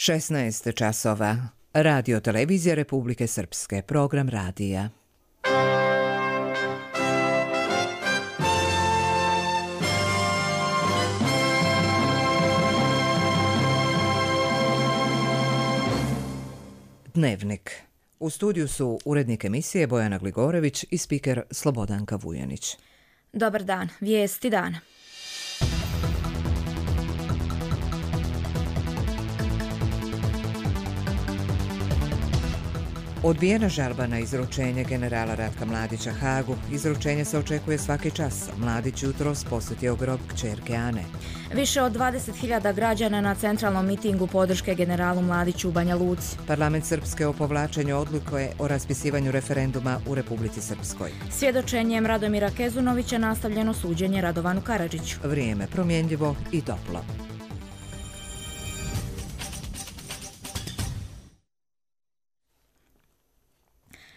16 časova. Radio televizija Republike Srpske. Program radija. Dnevnik. U studiju su urednik emisije Bojana Gligorević i spiker Slobodanka Vujanić. Dobar dan, vijesti dana. Odbijena žalba na izručenje generala Ratka Mladića Hagu. Izručenje se očekuje svaki čas. Mladić jutros posjetio grob kćerke Ane. Više od 20.000 građana na centralnom mitingu podrške generalu Mladiću u Banja Luci. Parlament Srpske o povlačenju odluke o raspisivanju referenduma u Republici Srpskoj. Svjedočenjem Radomira Kezunovića nastavljeno suđenje Radovanu Karadžiću. Vrijeme promjenljivo i toplo.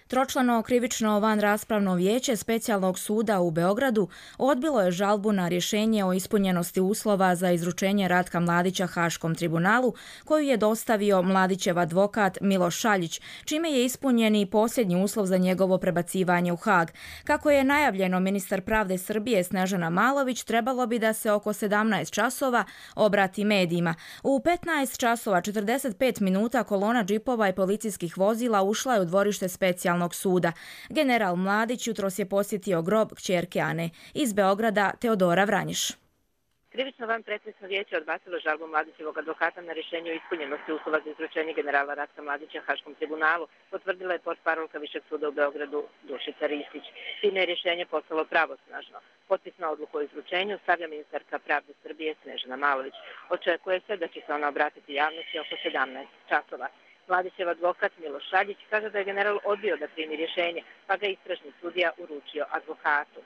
Tročlano krivično vanraspravno vijeće Specijalnog suda u Beogradu odbilo je žalbu na rješenje o ispunjenosti uslova za izručenje Ratka Mladića Haškom tribunalu, koju je dostavio Mladićev advokat Miloš Šaljić, čime je ispunjen i posljednji uslov za njegovo prebacivanje u Hag. Kako je najavljeno, ministar pravde Srbije Snežana Malović trebalo bi da se oko 17 časova obrati medijima. U 15 časova 45 minuta kolona džipova i policijskih vozila ušla je u dvorište Specijalnog suda. General Mladić jutros je posjetio grob kćerke Ane. Iz Beograda Teodora Vranjiš. Krivično vanpretresno vijeće odbacilo žalbu Mladićevog advokata na rješenje o ispunjenosti uslova za izručenje generala Ratka Mladića Haškom tribunalu, potvrdila je portparolka Višeg suda u Beogradu Dušica Ristić. Time je rješenje postalo pravosnažno. Potpis na odluku o izručenju stavlja ministarka pravde Srbije Snežana Malović. Očekuje se da će se ona obratiti javnosti oko 17 časova. Mladićev advokat Miloš Šaljić kaže da je general odbio da primi rješenje, pa ga istražni sudija uručio advokatu.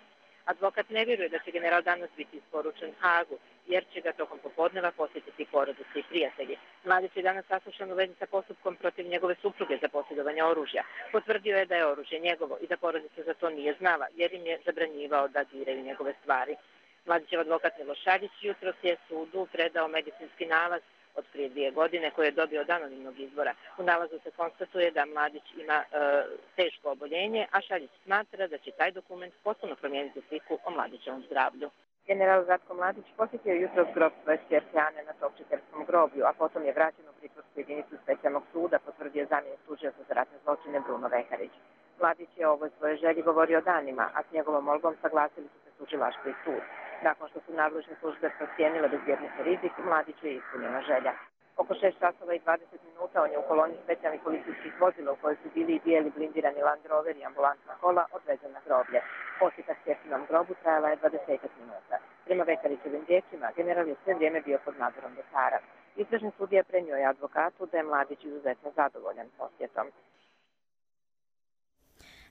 Advokat ne vjeruje da će general danas biti isporučen Hagu, jer će ga tokom popodneva posjetiti porodice i prijatelji. Mladić je danas saslušan u vezi sa postupkom protiv njegove supruge za posjedovanje oružja. Potvrdio je da je oružje njegovo i da porodica za to nije znala, jer im je zabranjivao da diraju njegove stvari. Mladićev advokat Miloš Šaljić jutros je sudu predao medicinski nalaz od prije 2 godine koje je dobio od anonimnog izvora. U nalazu se konstatuje da Mladić ima teško oboljenje, a Šaljić smatra da će taj dokument potpuno promijeniti sliku o Mladićevom zdravlju. General Ratko Mladić posjetio jutros grob svoje kćerke Ane na Topčiterskom groblju, a potom je vraćen u pritvorsku jedinicu Specijalnog suda, potvrdio zamjenik tužioca za ratne zločine Bruno Vekarić. Mladić je o ovoj svojoj želji govorio danima, a s njegovom molbom saglasili su se tužilaštvo i sud. Nakon što su nadležne službe procijenile bezbjednosni rizik, Mladiću je ispunjena želja. Oko 6 časova i 20 minuta on je u koloni specijalnih policijskih vozila u kojoj su bili i bijeli blindirani Land Rover i ambulantna kola odvezen na groblje. Posjeta kćerkinom grobu trajala je 20 minuta. Prema Vekarićevim riječima, general je sve vrijeme bio pod nadzorom lekara. Istražni sudija prenio je advokatu da je Mladić izuzetno zadovoljan posjetom.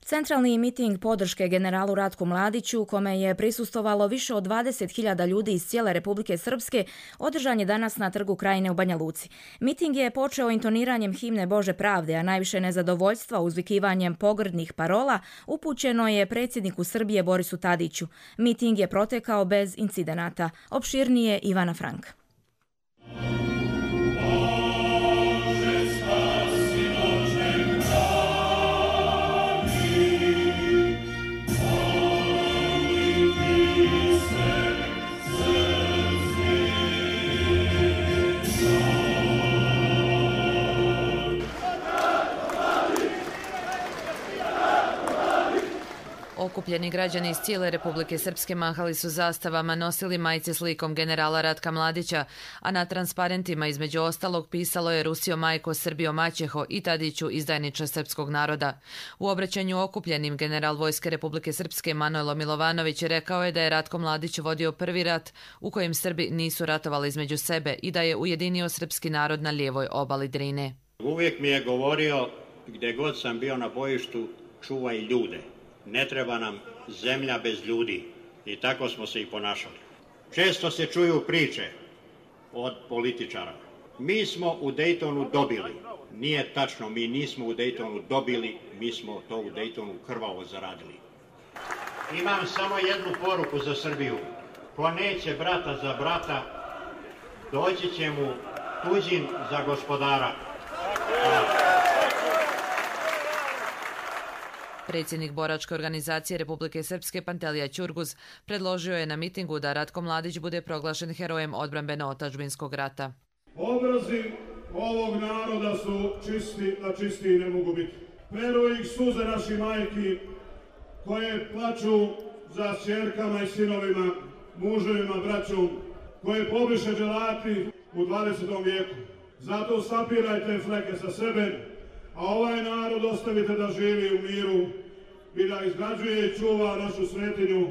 Centralni miting podrške generalu Ratku Mladiću, kome je prisustvovalo više od 20.000 ljudi iz cijele Republike Srpske, održan je danas na Trgu Krajine u Banja Luci. Miting je počeo intoniranjem himne Bože pravde, a najviše nezadovoljstva uzvikivanjem pogrdnih parola upućeno je predsjedniku Srbije Borisu Tadiću. Miting je protekao bez incidenata. Opširnije Ivana Frank. Okupljeni građani iz cijele Republike Srpske mahali su zastavama, nosili majice s likom generala Ratka Mladića, a na transparentima između ostalog pisalo je Rusio majko, Srbio maćeho i Tadiću izdajniče srpskog naroda. U obraćanju okupljenim general Vojske Republike Srpske Manojlo Milovanović rekao je da je Ratko Mladić vodio prvi rat u kojem Srbi nisu ratovali između sebe i da je ujedinio srpski narod na lijevoj obali Drine. Uvijek mi je govorio, gdje god sam bio na bojištu, čuvaj ljude. Ne treba nam zemlja bez ljudi i tako smo se i ponašali. Često se čuju priče od političara. Mi smo u Dejtonu dobili. Nije tačno, mi nismo u Dejtonu dobili, mi smo to u Dejtonu krvavo zaradili. Imam samo jednu poruku za Srbiju. Ko neće brata za brata, doći će mu tuđin za gospodara. Predsjednik boračke organizacije Republike Srpske Pantelija Ćurguz predložio je na mitingu da Ratko Mladić bude proglašen herojem odbrambeno-otadžbinskog rata. Obrazi ovog naroda su čisti, a čistiji ne mogu biti. Peru ih suze naših majki koje plaču za ćerkama i sinovima, muževima, braćom, koje pobiše dželati u 20. vijeku. Zato sapirajte fleke sa sebe, a ovaj narod ostavite da živi u miru i da izgrađuje i čuva našu svetinju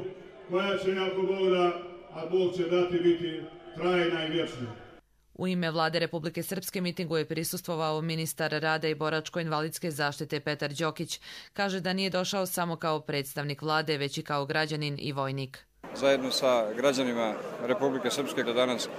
koja će, ako Bog da, a Bog će dati, biti trajna i vječna. U ime Vlade Republike Srpske mitingu je prisustvovao ministar rada i boračko-invalidske zaštite Petar Đokić. Kaže da nije došao samo kao predstavnik vlade, već i kao građanin i vojnik. Zajedno sa građanima Republike Srpske da danas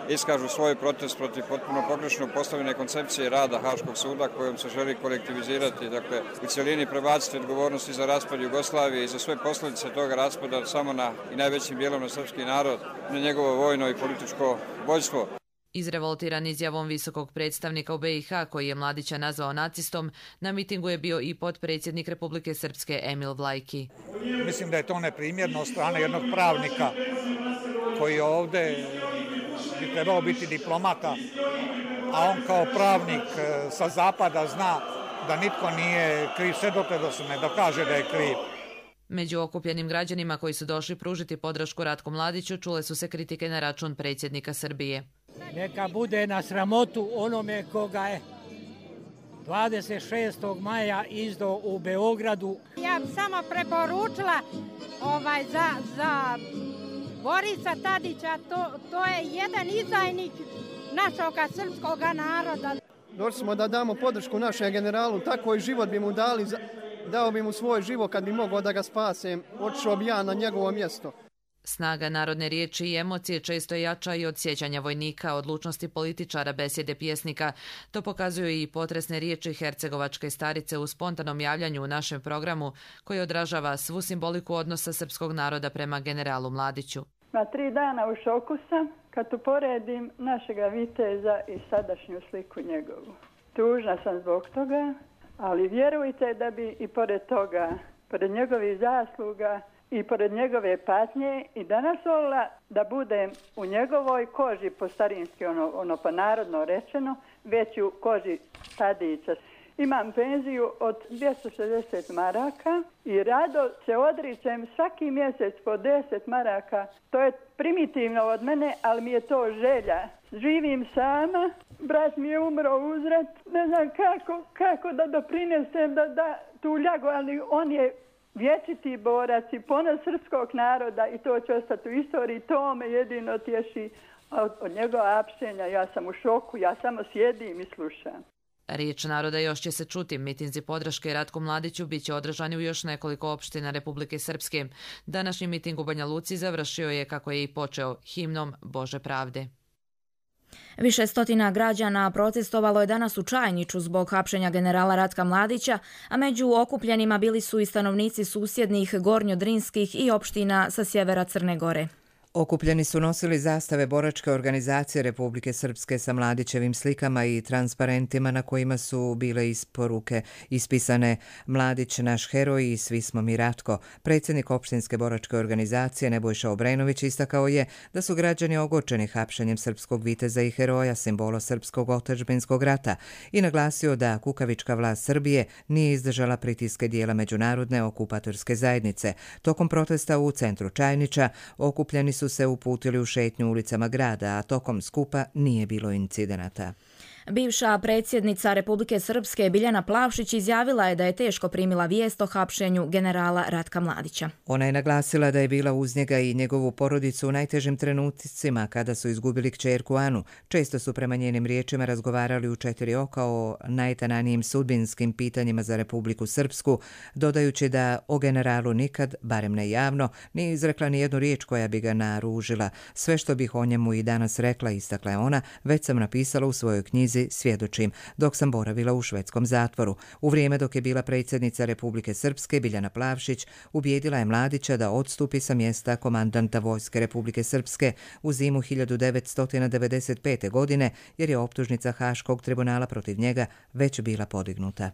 iskažu svoj protest protiv potpuno pogrešno postavljene koncepcije rada Haškog suda kojom se želi kolektivizirati, dakle u cjelini prebaciti odgovornosti za raspad Jugoslavije i za sve posljedice toga raspada samo na i najvećim dijelom na srpski narod, na njegovo vojno i političko vođstvo. Izrevoltiran izjavom visokog predstavnika u BiH, koji je Mladića nazvao nacistom, na mitingu je bio i potpredsjednik Republike Srpske Emil Vlajki. Mislim da je to neprimjerno od strane jednog pravnika koji ovdje bi trebao biti diplomata, a on kao pravnik sa zapada zna da nitko nije kriv sve dotle da se ne dokaže da je kriv. Među okupljenim građanima koji su došli pružiti podršku Ratku Mladiću čule su se kritike na račun predsjednika Srbije. Neka bude na sramotu onome koga je 26. maja izdao u Beogradu. Ja bih samo preporučila za Borisa Tadića, to je jedan izdajnik našeg srpskog naroda. Došli smo da damo podršku našem generalu, tako i život bi mu dali, dao bi mu svoj život kad bi mogao da ga spasem, otišao bi ja na njegovo mjesto. Snaga narodne riječi i emocije često jača i od sjećanja vojnika, odlučnosti političara, besjede pjesnika. To pokazuju i potresne riječi hercegovačke starice u spontanom javljanju u našem programu, koji odražava svu simboliku odnosa srpskog naroda prema generalu Mladiću. Na 3 dana u šoku sam kad uporedim našega viteza i sadašnju sliku njegovu. Tužna sam zbog toga, ali vjerujte da bi i pored toga, pored njegovih zasluga i pored njegove patnje i danas volila da budem u njegovoj koži, po starinski, ono pa narodno rečeno, već u koži Tadića. Imam penziju od 260 maraka i rado se odričem svaki mjesec po 10 maraka. To je primitivno od mene, ali mi je to želja. Živim sama, brat mi je umro uzrat, ne znam kako da doprinesem da tu ljagu, ali on je vječiti borac i ponos srpskog naroda i to će ostati u istoriji. To me jedino tješi od njegova apšenja. Ja sam u šoku, ja samo sjedim i slušam. Riječ naroda još će se čuti. Mitinzi podrške Ratku Mladiću bit će održani u još nekoliko opština Republike Srpske. Današnji miting u Banja Luci završio je, kako je i počeo, himnom Bože pravde. Više stotina građana protestovalo je danas u Čajniću zbog hapšenja generala Ratka Mladića, a među okupljenima bili su i stanovnici susjednih gornjodrinskih i opština sa sjevera Crne Gore. Okupljeni su nosili zastave boračke organizacije Republike Srpske sa Mladićevim slikama i transparentima na kojima su bile isporuke ispisane Mladić naš heroj i svi smo mi Ratko. Predsjednik opštinske boračke organizacije Nebojša Obrenović istakao je da su građani ogorčeni hapšenjem srpskog viteza i heroja, simbola srpskog otadžbinskog rata, i naglasio da kukavička vlast Srbije nije izdržala pritiske dijela međunarodne okupatorske zajednice. Tokom protesta u centru Čajnića okupljeni su se uputili u šetnju ulicama grada, a tokom skupa nije bilo incidenata. Bivša predsjednica Republike Srpske Biljana Plavšić izjavila je da je teško primila vijest o hapšenju generala Ratka Mladića. Ona je naglasila da je bila uz njega i njegovu porodicu u najtežim trenucima kada su izgubili kćerku Anu. Često su prema njenim riječima razgovarali u 4 oka o najtananijim sudbinskim pitanjima za Republiku Srpsku, dodajući da o generalu nikad, barem ne javno, nije izrekla ni jednu riječ koja bi ga naružila. Sve što bih o njemu i danas rekla, istakla je ona, već sam napisala u svojoj knjizi knjizi svjedočim, dok sam boravila u švedskom zatvoru. U vrijeme dok je bila predsjednica Republike Srpske, Biljana Plavšić, ubijedila je Mladića da odstupi sa mjesta komandanta Vojske Republike Srpske u zimu 1995. godine, jer je optužnica Haškog tribunala protiv njega već bila podignuta.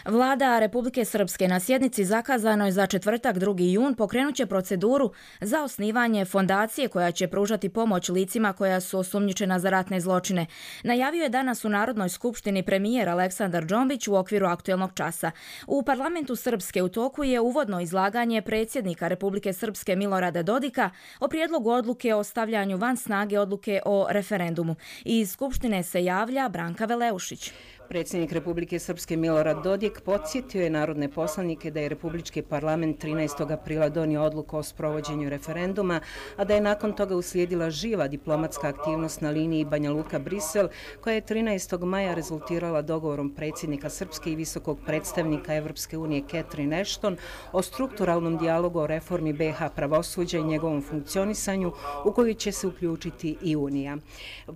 Vlada Republike Srpske na sjednici zakazanoj za četvrtak 2. jun pokrenut će proceduru za osnivanje fondacije koja će pružati pomoć licima koja su osumnjičena za ratne zločine. Najavio je danas u Narodnoj skupštini premijer Aleksandar Džombić u okviru aktuelnog časa. U parlamentu Srpske u toku je uvodno izlaganje predsjednika Republike Srpske Milorada Dodika o prijedlogu odluke o stavljanju van snage odluke o referendumu. Iz skupštine se javlja Branka Veleušić. Predsjednik Republike Srpske Milorad Dodik podsjetio je narodne poslanike da je Republički parlament 13. aprila donio odluku o sprovođenju referenduma, a da je nakon toga uslijedila živa diplomatska aktivnost na liniji Banja Luka-Brisel, koja je 13. maja rezultirala dogovorom predsjednika Srpske i visokog predstavnika Evropske unije Catherine Ashton o strukturalnom dijalogu o reformi BiH pravosuđa i njegovom funkcionisanju, u koju će se uključiti i Unija.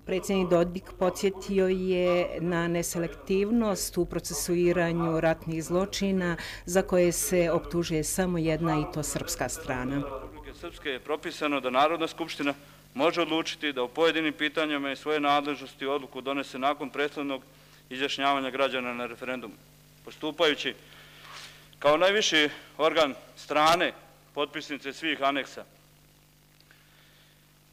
Predsjednik Dodik podsjetio je na neselektivnost u procesuiranju ratnih zločina za koje se optužuje samo jedna, i to srpska strana. Republike Srpske je propisano da Narodna skupština može odlučiti da u pojedinim pitanjima i svoje nadležnosti odluku donese nakon prethodnog izjašnjavanja građana na referendumu. Postupajući kao najviši organ strane, potpisnice svih aneksa,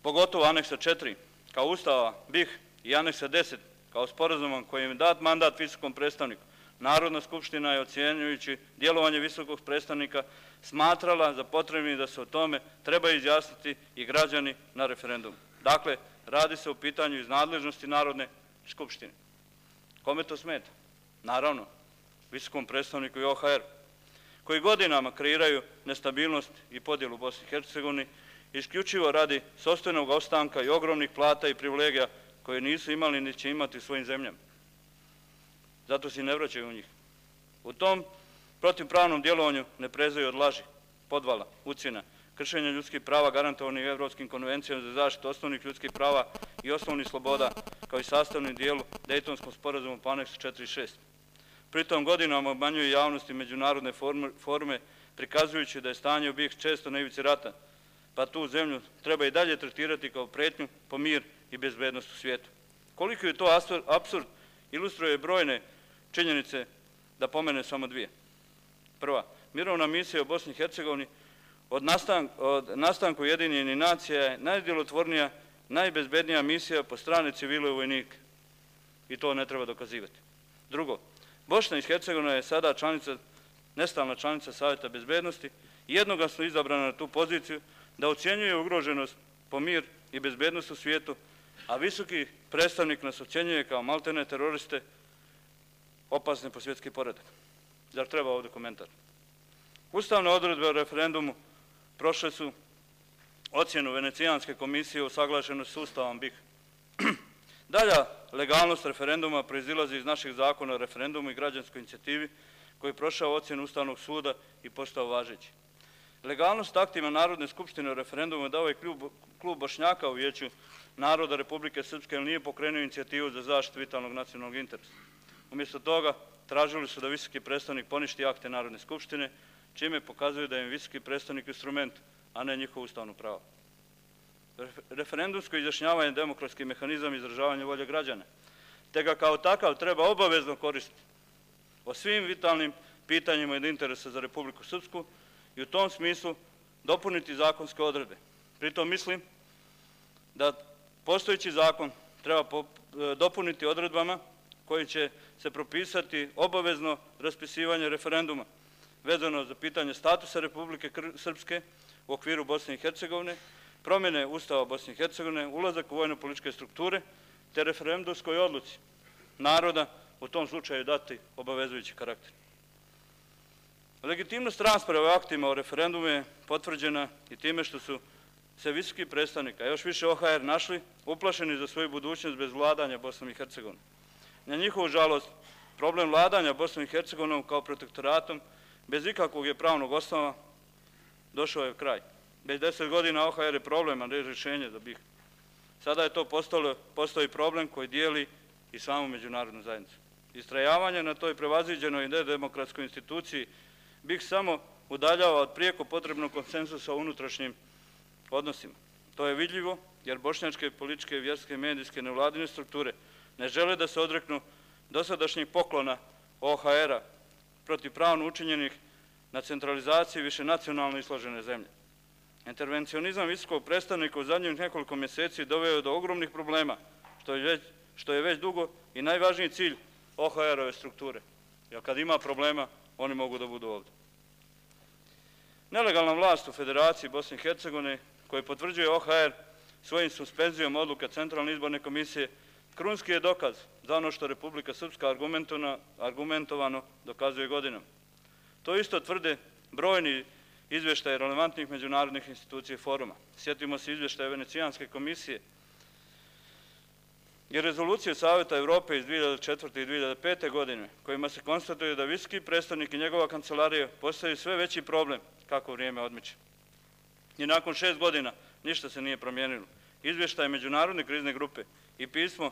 pogotovo aneksa 4, kao Ustava BiH i aneksa 10, kao sporazumom kojim je dat mandat visokom predstavniku, Narodna skupština je, ocjenjujući djelovanje visokog predstavnika, smatrala za potrebnim da se o tome treba izjasniti i građani na referendumu. Dakle, radi se o pitanju iz nadležnosti Narodne skupštine. Kome to smeta? Naravno, visokom predstavniku i OHR, koji godinama kreiraju nestabilnost i podjelu u Bosni i Hercegovini, isključivo radi sopstvenog ostanka i ogromnih plata i privilegija koje nisu imali ni će imati u svojim zemljama. Zato se i ne vraćaju u njih. U tom protivpravnom djelovanju ne prezaju od laži, podvala, ucjena, kršenja ljudskih prava garantovanih Evropskim konvencijama za zaštitu osnovnih ljudskih prava i osnovnih sloboda, kao i sastavnim dijelu Dejtonskog sporazuma po aneksu 4 i 6. Pritom godinama obmanjuje javnosti međunarodne forume, prikazujući da je stanje u BiH često na ivici rata, pa tu zemlju treba i dalje tretirati kao pretnju po mir i bezbednost u svijetu. Koliko je to apsurd, ilustruje brojne činjenice, da pomene samo dvije. Prva, mirovna misija u Bosni i Hercegovini od nastanku Ujedinjenih nacija je najdjelotvornija, najbezbednija misija po strani civila i vojnika. I to ne treba dokazivati. Drugo, Bosna i Hercegovina je sada nestalna članica Savjeta bezbednosti i jednoglasno izabrana na tu poziciju da ocjenjuje ugroženost po mir i bezbednost u svijetu, a visoki predstavnik nas ocjenjuje kao maltene teroriste, opasne po svjetski poredak. Zar treba ovdje komentar? Ustavne odredbe o referendumu prošle su ocjenu Venecijanske komisije o usaglašenosti s Ustavom BiH. Dalja legalnost referenduma proizilazi iz naših zakona o referendumu i građanskoj inicijativi koji je prošao ocjenu Ustavnog suda i postao važeći. Legalnost aktima Narodne skupštine o referendumu je dao i klub Bošnjaka u Vijeću naroda Republike Srpske, ali nije pokrenuo inicijativu za zaštitu vitalnog nacionalnog interesa. Umjesto toga tražili su da visoki predstavnik poništi akte Narodne skupštine, čime pokazuju da je visoki predstavnik instrument, a ne njihovo ustavno pravo. Referendumsko izjašnjavanje je demokratski mehanizam izražavanja volje građana, te ga kao takav treba obavezno koristiti o svim vitalnim pitanjima od interesa za Republiku Srpsku i u tom smislu dopuniti zakonske odredbe. Pritom mislim da postojeći zakon treba dopuniti odredbama koji će se propisati obavezno raspisivanje referenduma vezano za pitanje statusa Republike Srpske u okviru Bosne i Hercegovine, promjene Ustava Bosne i Hercegovine, ulazak u vojno-političke strukture, te referendumskoj odluci naroda u tom slučaju dati obavezujući karakter. Legitimnost rasprave o aktima o referendumu je potvrđena i time što su se visoki predstavnik, a još više OHR, našli uplašeni za svoju budućnost bez vladanja Bosnom i Hercegovinom. Na njihovu žalost, problem vladanja Bosnom i Hercegovinom kao protektoratom, bez ikakvog je pravnog osnova, došao je kraj. Bez 10 godina OHR je problem, a ne rješenje za BiH. Sada je to postoji problem koji dijeli i samu međunarodnu zajednicu. Istrajavanje na toj prevaziđenoj nedemokratskoj instituciji bih samo udaljava od prijeko potrebnog konsenzusa u unutrašnjim odnosima. To je vidljivo jer bošnjačke političke, vjerske, medijske, nevladine strukture ne žele da se odreknu dosadašnjih poklona OHR-a protivpravno učinjenih na centralizaciji višenacionalno isložene zemlje. Intervencionizam visokog predstavnika u zadnjih nekoliko mjeseci doveo do ogromnih problema, što je već dugo i najvažniji cilj OHR-ove strukture. Jer kad ima problema, oni mogu da budu ovdje. Nelegalna vlast u Federaciji Bosne i Hercegovine, koji potvrđuje OHR svojim suspenzijom odluka Centralne izborne komisije, krunski je dokaz za ono što Republika Srpska argumentovano dokazuje godinama. To isto tvrde brojni izvještaje relevantnih međunarodnih institucija i foruma. Sjetimo se izvještaja Venecijanske komisije i rezolucije Savjeta Evrope iz 2004. i 2005. godine, kojima se konstatuje da visoki predstavnik i njegova kancelarija postaju sve veći problem kako vrijeme odmiče. I nakon 6 godina ništa se nije promijenilo. Izvještaj Međunarodne krizne grupe i pismo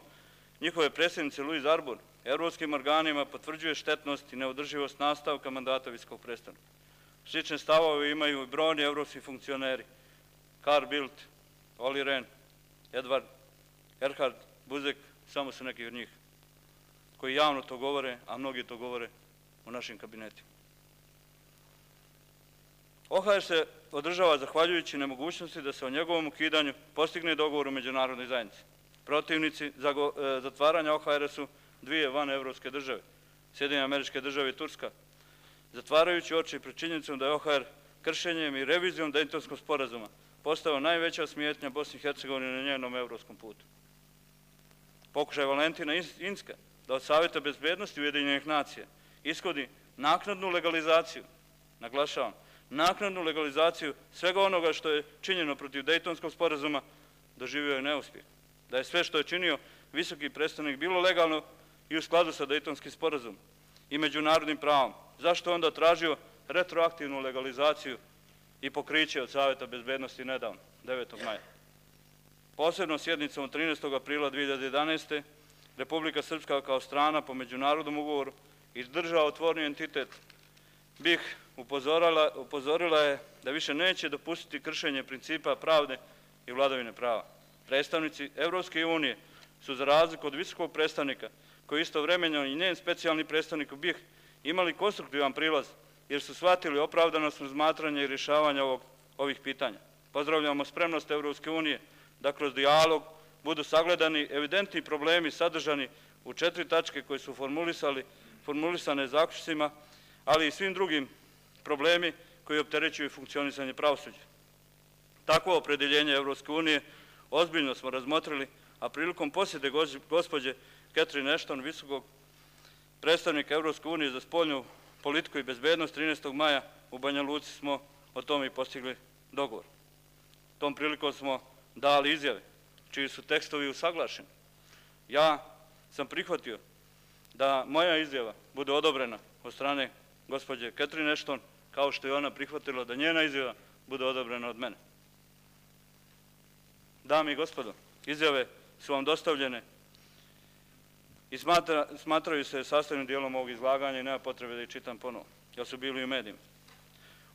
njihove predsjednice Louise Arbour evropskim organima potvrđuje štetnost i neodrživost nastavka mandata visokog predstavnika. Slične stavove imaju i brojni evropski funkcioneri. Carl Bildt, Olli Rehn, Edvard Erhard Buzek, samo su neki od njih koji javno to govore, a mnogi to govore u našim kabinetima. OHR se održava zahvaljujući nemogućnosti da se o njegovom ukidanju postigne dogovor u međunarodnoj zajednici. Protivnici zatvaranja OHR su dvije vanevropske države, Sjedinjene Američke Države i Turska, zatvarajući oči pred činjenicom da je OHR kršenjem i revizijom Dejtonskog sporazuma postao najveća smetnja Bosni i Hercegovine na njenom evropskom putu. Pokušaj Valentina Inzka da od Savjeta bezbednosti Ujedinjenih nacija ishodi naknadnu legalizaciju, naglašavam, naknadnu legalizaciju svega onoga što je činjeno protiv Dejtonskog sporazuma, doživio je neuspjeh. Da je sve što je činio visoki predstavnik bilo legalno i u skladu sa Dejtonskim sporazumom i međunarodnim pravom. Zašto onda tražio retroaktivnu legalizaciju i pokriće od Savjeta bezbednosti nedavno, 9. maja? Posebno sjednicom 13. aprila 2011. Republika Srpska kao strana po međunarodnom ugovoru i država otvorni entitet BiH upozorila je da više neće dopustiti kršenje principa pravde i vladavine prava. Predstavnici Evropske unije su za razliku od visokog predstavnika, koji istovremeno i njen specijalni predstavnik u BiH imali konstruktivan prilaz, jer su shvatili opravdanost razmatranja i rješavanja ovih pitanja. Pozdravljamo spremnost Evropske unije da kroz dijalog budu sagledani evidentni problemi sadržani u 4 tačke koje su formulisane zaključcima, ali i svim drugim problemi koji opterećuju funkcionisanje pravosuđa. Takvo opredeljenje Evropske unije ozbiljno smo razmotrili, a prilikom posjete gospođe Catherine Ashton, visokog predstavnika Evropske unije za spoljnu politiku i bezbednost 13. maja u Banja Luci smo o tome i postigli dogovor. Tom prilikom smo dali izjave, čiji su tekstovi usaglašeni. Ja sam prihvatio da moja izjava bude odobrena od strane gospođe Catherine Ashton, kao što je ona prihvatila da njena izjava bude odobrena od mene. Dame i gospodo, izjave su vam dostavljene i smatraju se sastavnim dijelom ovog izlaganja i nema potrebe da ih čitam ponovo, jer su bili u medijima.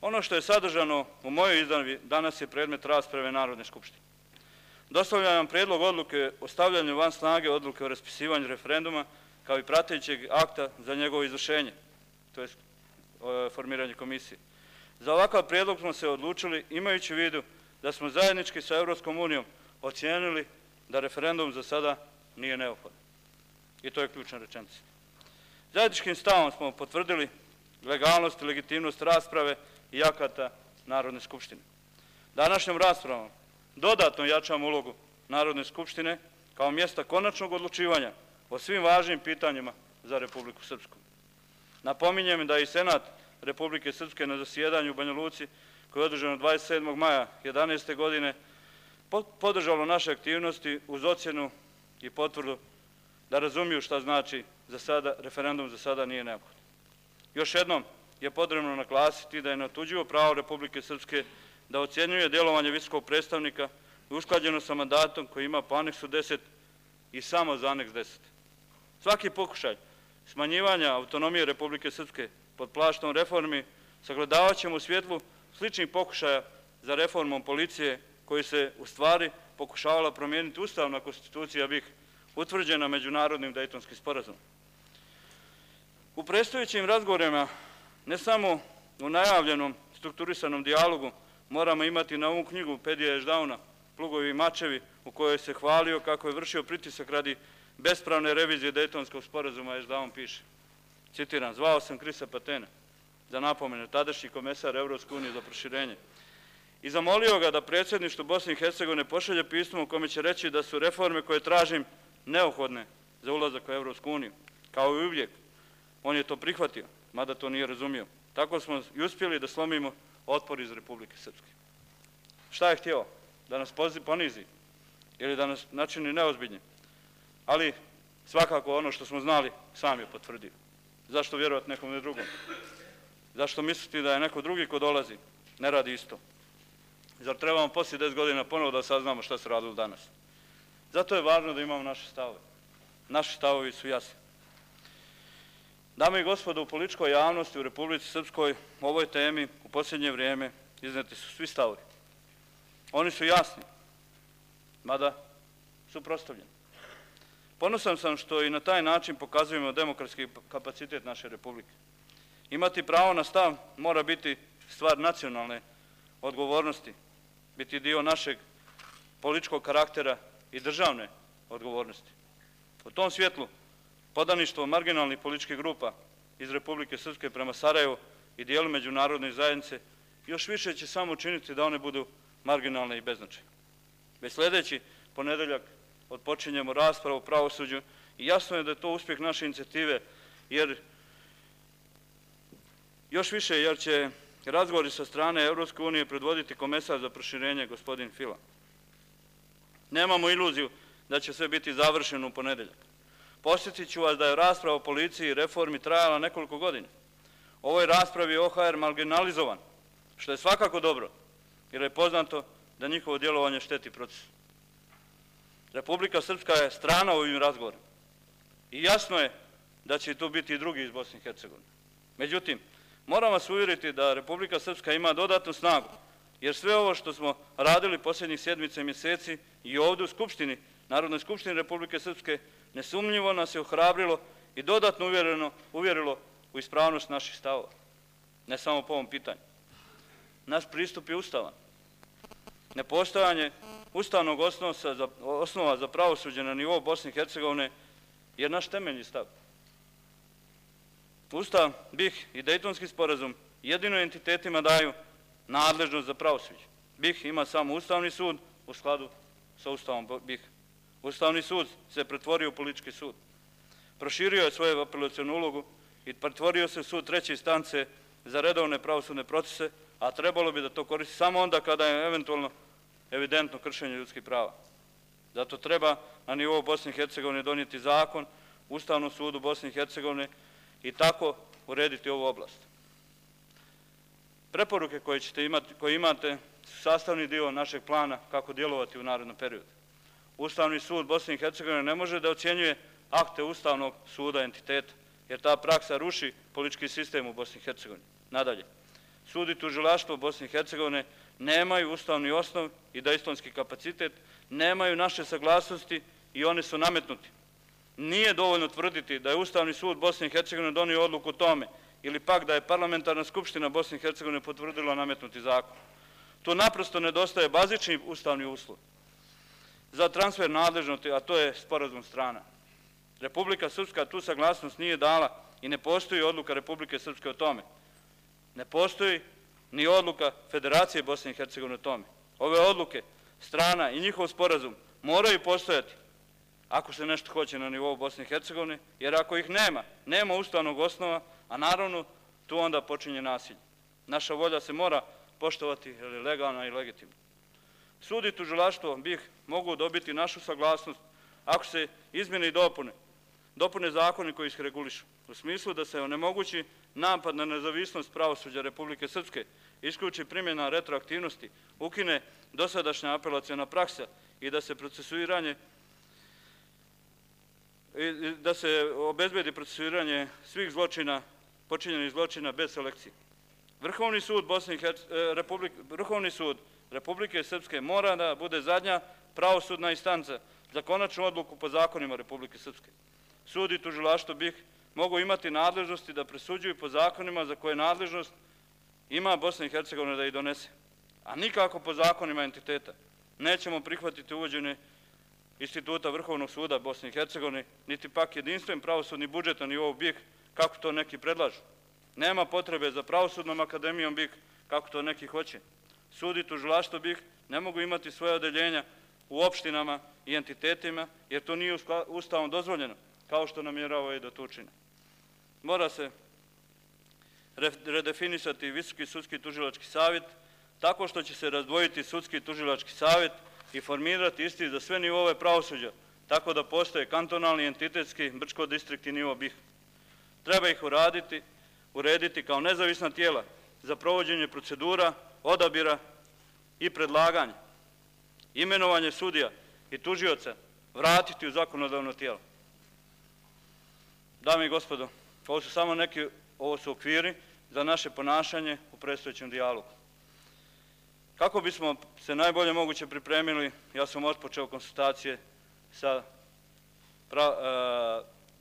Ono što je sadržano u mojoj izjavi danas je predmet rasprave Narodne skupštine. Dostavljam vam predlog odluke o stavljanju van snage odluke o raspisivanju referenduma kao i pratećeg akta za njegovo izvršenje, to je formiranje komisije. Za ovakav predlog smo se odlučili imajući u vidu da smo zajednički sa Evropskom unijom ocijenili da referendum za sada nije neophodan. I to je ključna rečenica. Zajedničkim stavom smo potvrdili legalnost i legitimnost rasprave i akata Narodne skupštine. Današnjom raspravom dodatno jačamo ulogu Narodne skupštine kao mjesta konačnog odlučivanja o svim važnim pitanjima za Republiku Srpsku. Napominjem da je i Senat Republike Srpske na zasjedanju u Banja Luci, koje je održano 27. maja 2011. godine, podržalo naše aktivnosti uz ocjenu i potvrdu da razumiju šta znači referendum za sada nije neophodan. Još jednom je potrebno naglasiti da je neotuđivo pravo Republike Srpske da ocjenjuje djelovanje visokog predstavnika usklađeno sa mandatom koji ima po aneksu 10 i samo za aneks 10. Svaki pokušaj smanjivanja autonomije Republike Srpske pod plaštom reformi sagledavat ćemo u svjetlu sličnih pokušaja za reformom policije koji se u stvari pokušavala promijeniti ustavna konstitucija BiH utvrđena međunarodnim Dejtonskim sporazumom. U predstojećim razgovorima, ne samo u najavljenom strukturisanom dijalogu, moramo imati na umu knjigu Pedija Ešdauna, Plugovi i mačevi, u kojoj se hvalio kako je vršio pritisak radi bespravne revizije Dejtonskog sporazuma. Ešdaun piše, citiram, zvao sam Krisa Patena, za napomenu, tadašnji komesar Evropske unije za proširenje, i zamolio ga da predsjedništvu Bosne i Hercegovine pošalje pismo u kome će reći da su reforme koje tražim neophodne za ulazak u Evropsku uniju. Kao i uvijek, on je to prihvatio, mada to nije razumio. Tako smo i uspjeli da slomimo otpor iz Republike Srpske. Šta je htio? Da nas ponizi ili da nas načini neozbiljni? Ali svakako ono što smo znali sam je potvrdio. Zašto vjerovati nekom drugom? Zašto misliti da je neko drugi ko dolazi ne radi isto? Zar trebamo poslije 10 godina ponovo da saznamo šta se radilo danas? Zato je važno da imamo naše stavove. Naši stavovi su jasni. Dame i gospodo, u političkoj javnosti u Republici Srpskoj u ovoj temi u posljednje vrijeme izneti su svi stavovi. Oni su jasni, mada suprotstavljeni. Ponosan sam što i na taj način pokazujemo demokratski kapacitet naše Republike. Imati pravo na stav mora biti stvar nacionalne odgovornosti, biti dio našeg političkog karaktera i državne odgovornosti. U tom svjetlu podaništvo marginalnih političkih grupa iz Republike Srpske prema Sarajevu i dijelu međunarodne zajednice još više će samo učiniti da one budu marginalne i beznačajne. Već sljedeći ponedeljak odpočinjemo raspravu o pravosuđu i jasno je da je to uspjeh naše inicijative, jer još više jer će razgovori sa strane Evropske unije predvoditi komesar za proširenje gospodin Fila. Nemamo iluziju da će sve biti završeno u ponedeljak. Posjetit ću vas da je rasprava o policiji i reformi trajala nekoliko godina. U ovoj raspravi je OHR marginalizovan, što je svakako dobro, jer je poznato da njihovo djelovanje šteti procesu. Republika Srpska je strana u ovim razgovorima i jasno je da će tu biti i drugi iz Bosne i Hercegovine. Međutim, moram vas uvjeriti da Republika Srpska ima dodatnu snagu, jer sve ovo što smo radili posljednjih sedmica i mjeseci i ovdje u Skupštini, Narodnoj skupštini Republike Srpske, nesumnjivo nas je ohrabrilo i dodatno uvjerilo u ispravnost naših stavova. Ne samo po ovom pitanju. Naš pristup je ustavan. Nepostojanje ustavnog osnova za pravosuđe na nivou Bosne i Hercegovine je naš temeljni stav. Ustav, BiH i Dejtonski sporazum jedino entitetima daju nadležnost za pravosuđe. BiH ima samo Ustavni sud u skladu sa Ustavom BiH. Ustavni sud se pretvorio u politički sud. Proširio je svoju apelacionu ulogu i pretvorio se u sud treće instance za redovne pravosudne procese, a trebalo bi da to koristi samo onda kada je eventualno evidentno kršenje ljudskih prava. Zato treba na nivou Bosne i Hercegovine donijeti zakon Ustavnom sudu Bosne i Hercegovine i tako urediti ovu oblast. Preporuke koje imate su sastavni dio našeg plana kako djelovati u narednom periodu. Ustavni sud Bosne i Hercegovine ne može da ocjenjuje akte Ustavnog suda entiteta, jer ta praksa ruši politički sistem u Bosni i Hercegovini. Nadalje, sud i tužilaštvo Bosne i Hercegovine nemaju ustavni osnov i dejtonski kapacitet, nemaju naše saglasnosti i one su nametnuti. Nije dovoljno tvrditi da je Ustavni sud Bosne i Hercegovine donio odluku o tome ili pak da je Parlamentarna skupština Bosne i Hercegovine potvrdila nametnuti zakon. Tu naprosto nedostaje bazični ustavni uslov za transfer nadležnosti, a to je sporazum strana. Republika Srpska tu saglasnost nije dala i ne postoji odluka Republike Srpske o tome. Ne postoji ni odluka Federacije Bosne i Hercegovine o tome. Ove odluke strana i njihov sporazum moraju postojati ako se nešto hoće na nivou Bosne i Hercegovine, jer ako ih nema ustavnog osnova, a naravno tu onda počinje nasilje. Naša volja se mora poštovati jer je legalna i legitimna. Sud i tužilaštvo BiH mogu dobiti našu saglasnost ako se izmjene i dopune zakoni koji ih regulišu, u smislu da se onemogući napad na nezavisnost pravosuđa Republike Srpske, isključi primjena retroaktivnosti, ukine dosadašnja apelaciona praksa i da se procesuiranje da se obezbedi procesuiranje svih zločina, počinjenih zločina bez selekcije. Vrhovni sud Republike Srpske mora da bude zadnja pravosudna instanca za konačnu odluku po zakonima Republike Srpske. Sud i tužilaštvo BiH mogu imati nadležnosti da presuđuju po zakonima za koje nadležnost ima Bosna i Hercegovina da ih donese, a nikako po zakonima entiteta. Nećemo prihvatiti uvođenje instituta Vrhovnog suda Bosne i Hercegovine, niti pak jedinstven pravosudni budžet na nivou BiH, kako to neki predlažu. Nema potrebe za pravosudnom akademijom BiH, kako to neki hoće. Sud i tužilaštvo BiH ne mogu imati svoje odeljenja u opštinama i entitetima, jer to nije ustavom dozvoljeno, kao što namjeravaju i da to učine. Mora se redefinisati Visoki sudski tužilački savjet, tako što će se razdvojiti Sudski tužilački savjet i formirati isti za sve nivove pravosuđa, tako da postoje kantonalni, entitetski, Brčko-distrikt i nivo BiH. Treba ih urediti kao nezavisna tijela za provođenje procedura, odabira i predlaganja. Imenovanje sudija i tužioca vratiti u zakonodavno tijelo. Dame i gospodo, ovo su okviri za naše ponašanje u predstojećem dijalogu. Kako bismo se najbolje moguće pripremili, ja sam otpočeo konsultacije sa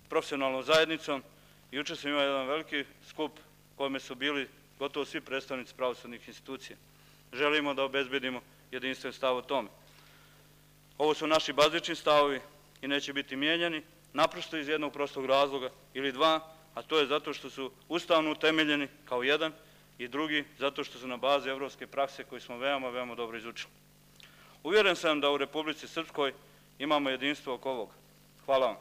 profesionalnom zajednicom i jučer sam imao jedan veliki skup u kome su bili gotovo svi predstavnici pravosudnih institucija. Želimo da obezbedimo jedinstven stav o tome. Ovo su naši bazični stavovi i neće biti mijenjani, naprosto iz jednog prostog razloga ili dva, a to je zato što su ustavno utemeljeni kao jedan i drugi zato što su na bazi evropske prakse koju smo veoma dobro izučili. Uvjeren sam da u Republici Srpskoj imamo jedinstvo oko ovoga. Hvala vam.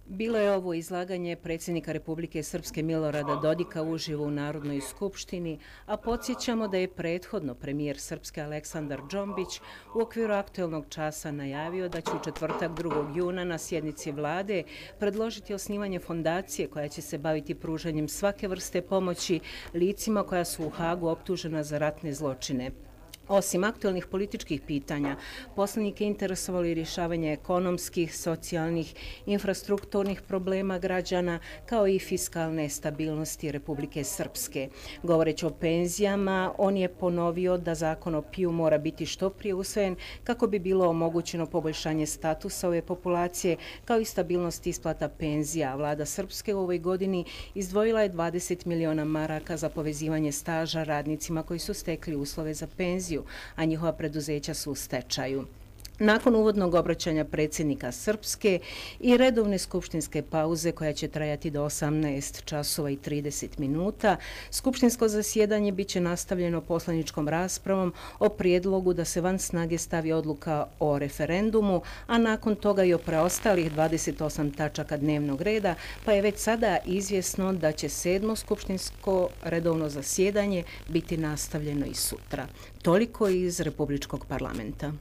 Bilo je ovo izlaganje predsjednika Republike Srpske Milorada Dodika uživo u Narodnoj skupštini, a podsjećamo da je prethodno premijer Srpske Aleksandar Džombić u okviru aktuelnog časa najavio da će u četvrtak 2. juna na sjednici vlade predložiti osnivanje fondacije koja će se baviti pružanjem svake vrste pomoći licima koja su u Hagu optužena za ratne zločine. Osim aktualnih političkih pitanja, poslanike interesovalo i rješavanje ekonomskih, socijalnih, infrastrukturnih problema građana, kao i fiskalne stabilnosti Republike Srpske. Govoreći o penzijama, on je ponovio da zakon o PIO mora biti što prije usvojen kako bi bilo omogućeno poboljšanje statusa ove populacije, kao i stabilnost isplata penzija. Vlada Srpske u ovoj godini izdvojila je 20 miliona maraka za povezivanje staža radnicima koji su stekli uslove za penziju, a njihova preduzeća su u stečaju. Nakon uvodnog obraćanja predsjednika Srpske i redovne skupštinske pauze koja će trajati do 18 časova i 30 minuta, skupštinsko zasjedanje biće nastavljeno poslaničkom raspravom o prijedlogu da se van snage stavi odluka o referendumu, a nakon toga i o preostalih 28 tačaka dnevnog reda, pa je već sada izvjesno da će 7. skupštinsko redovno zasjedanje biti nastavljeno i sutra. Toliko iz Republičkog parlamenta.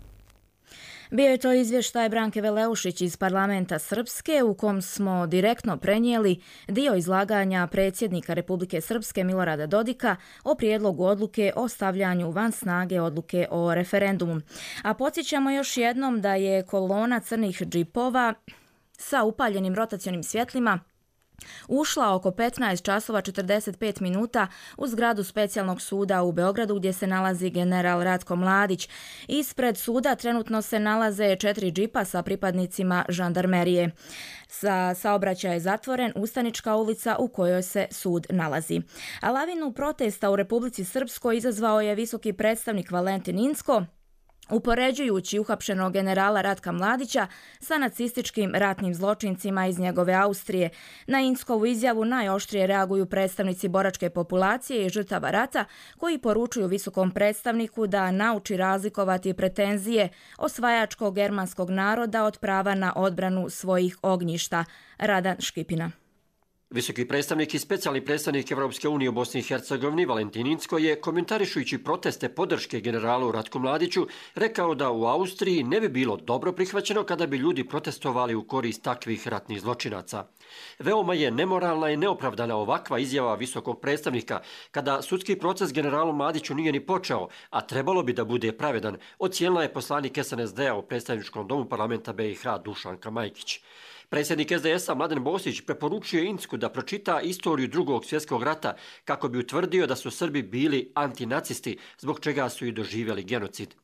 Bio je to izvještaj Branke Veleušić iz parlamenta Srpske u kom smo direktno prenijeli dio izlaganja predsjednika Republike Srpske Milorada Dodika o prijedlogu odluke o stavljanju van snage odluke o referendumu. A podsjećamo još jednom da je kolona crnih džipova sa upaljenim rotacionim svjetlima ušla oko 15 časova 45 minuta u zgradu specijalnog suda u Beogradu gdje se nalazi general Ratko Mladić. Ispred suda trenutno se nalaze 4 džipa sa pripadnicima žandarmerije. Saobraćaj je zatvoren, Ustanička ulica u kojoj se sud nalazi. A lavinu protesta u Republici Srpskoj izazvao je visoki predstavnik Valentin Incko, upoređujući uhapšenog generala Ratka Mladića sa nacističkim ratnim zločincima iz njegove Austrije. Na Inckovu izjavu najoštrije reaguju predstavnici boračke populacije i žrtava rata, koji poručuju visokom predstavniku da nauči razlikovati pretenzije osvajačkog germanskog naroda od prava na odbranu svojih ognjišta. Radan Škipina. Visoki predstavnik i specijalni predstavnik Evropske unije u Bosni i Hercegovini Valentin Incko je, komentarišujući proteste podrške generalu Ratku Mladiću, rekao da u Austriji ne bi bilo dobro prihvaćeno kada bi ljudi protestovali u korist takvih ratnih zločinaca. Veoma je nemoralna i neopravdana ovakva izjava visokog predstavnika kada sudski proces generalu Mladiću nije ni počeo, a trebalo bi da bude pravedan, ocijenila je poslanik SNSD-a u predstavničkom domu parlamenta BiH Dušanka Majkić. Predsjednik SDS-a Mladen Bosić preporučio Incku da pročita istoriju Drugog svjetskog rata kako bi utvrdio da su Srbi bili antinacisti, zbog čega su i doživjeli genocid.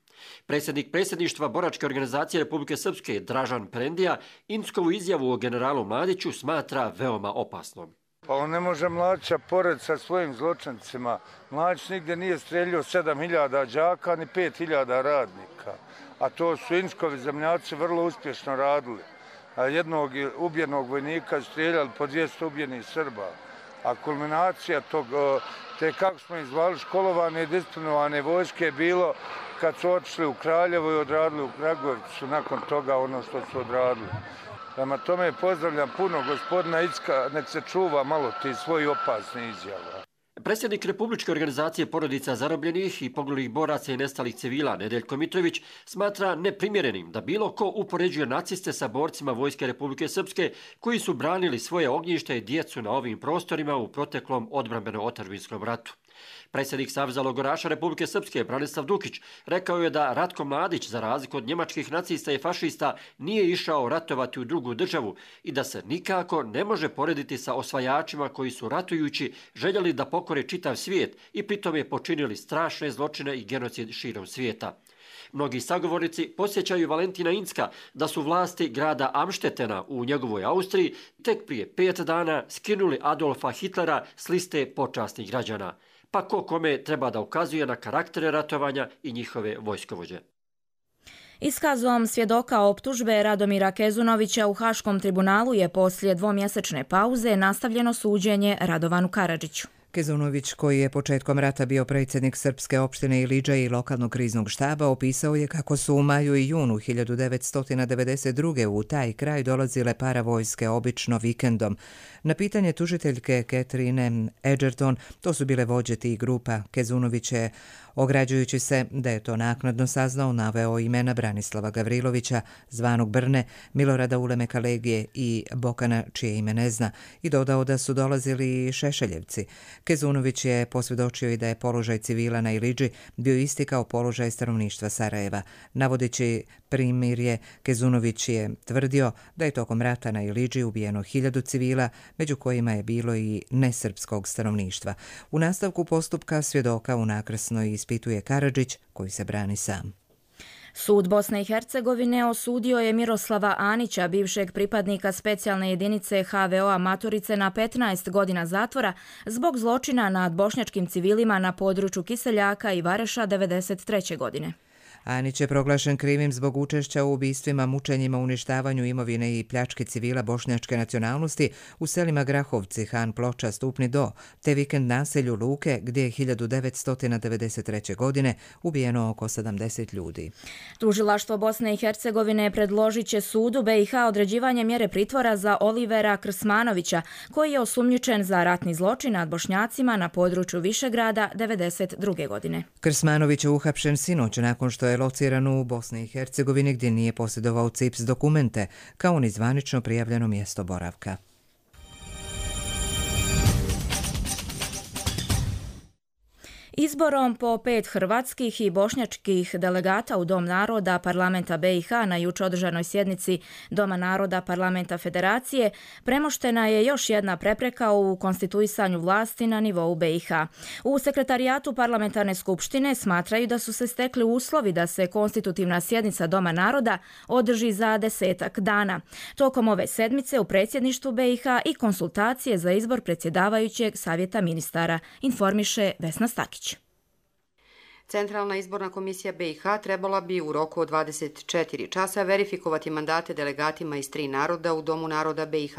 Predsjednik predsjedništva Boračke organizacije Republike Srpske Dražan Prendija Inckovu izjavu o generalu Mladiću smatra veoma opasnom. Pa on ne može Mladića pored sa svojim zločincima. Mladić nigdje nije streljio 7.000 đaka ni 5.000 radnika, a to su Inckovi zemljaci vrlo uspješno radili. A jednog ubijenog vojnika streljali po 200 ubijenih Srba. A kulminacija te, kako smo ih zvali, školovane i disciplinovane vojske je bilo kad su otišli u Kraljevo i odradili u Kragujevicu nakon toga ono što su odradili. Prema tome pozdravljam puno gospodina Incka, nek se čuva malo ti svoji opasni izjava. Predsjednik Republičke organizacije porodica zarobljenih i poginulih boraca i nestalih civila Nedeljko Mitrović smatra neprimjerenim da bilo ko upoređuje naciste sa borcima Vojske Republike Srpske koji su branili svoje ognjište i djecu na ovim prostorima u proteklom odbrambeno-otadžbinskom ratu. Predsjednik Saveza logoraša Republike Srpske Branislav Dukić rekao je da Ratko Mladić, za razliku od njemačkih nacista i fašista, nije išao ratovati u drugu državu i da se nikako ne može porediti sa osvajačima koji su ratujući željeli da pokore čitav svijet i pritom je počinili strašne zločine i genocid širom svijeta. Mnogi sagovornici podsjećaju Valentina Incka da su vlasti grada Amštetena u njegovoj Austriji tek prije 5 dana skinuli Adolfa Hitlera s liste počasnih građana. Pa ko kome treba da ukazuje na karaktere ratovanja i njihove vojskovođe. Iskazom svjedoka optužbe Radomira Kezunovića u Haškom tribunalu je poslije dvomjesečne pauze nastavljeno suđenje Radovanu Karadžiću. Kezunović, koji je početkom rata bio predsjednik Srpske opštine Ilidža i lokalnog kriznog štaba, opisao je kako su u maju i junu 1992. u taj kraj dolazile paravojske obično vikendom. Na pitanje tužiteljke Catherine Edgerton, to su bile vođe tih grupa, Kezunović je, ograđujući se da je to naknadno saznao, naveo imena Branislava Gavrilovića, zvanog Brne, Milorada Ulemeka Legije i Bokana, čije ime ne zna, i dodao da su dolazili i Šešeljevci. Kezunović je posvjedočio i da je položaj civila na Ilidži bio isti kao položaj stanovništva Sarajeva. Navodeći primirje, Kezunović je tvrdio da je tokom rata na Ilidži ubijeno 1000 civila, među kojima je bilo i nesrpskog stanovništva. U nastavku postupka svjedoka unakrsno ispituje Karadžić, koji se brani sam. Sud Bosne i Hercegovine osudio je Miroslava Anića, bivšeg pripadnika specijalne jedinice HVO-a Maturice, na 15 godina zatvora zbog zločina nad bošnjačkim civilima na području Kiseljaka i Vareša 1993. godine. Anić je proglašen krivim zbog učešća u ubistvima, mučenjima, uništavanju imovine i pljački civila bošnjačke nacionalnosti u selima Grahovci, Han Ploča, Stupni Do, te vikend naselju Luke, gdje je 1993. godine ubijeno oko 70 ljudi. Tužilaštvo Bosne i Hercegovine predložit će sudu BiH određivanje mjere pritvora za Olivera Krsmanovića, koji je osumnjičen za ratni zločin nad Bošnjacima na području Višegrada 1992. godine. Krsmanović je uhapšen sinoć nakon što je lociran u Bosni i Hercegovini, gdje nije posjedovao CIPS dokumente, kao ni zvanično prijavljeno mjesto boravka. Izborom po 5 hrvatskih i bošnjačkih delegata u Dom naroda Parlamenta BiH na juče održanoj sjednici Doma naroda Parlamenta Federacije premoštena je još jedna prepreka u konstituisanju vlasti na nivou BiH. U sekretarijatu Parlamentarne skupštine smatraju da su se stekli uslovi da se konstitutivna sjednica Doma naroda održi za 10 dana. Tokom ove sedmice u predsjedništvu BiH i konsultacije za izbor predsjedavajućeg savjeta ministara, informiše Vesna Stakić. Centralna izborna komisija BiH trebala bi u roku od 24 časa verifikovati mandate delegatima iz 3 naroda u Domu naroda BiH,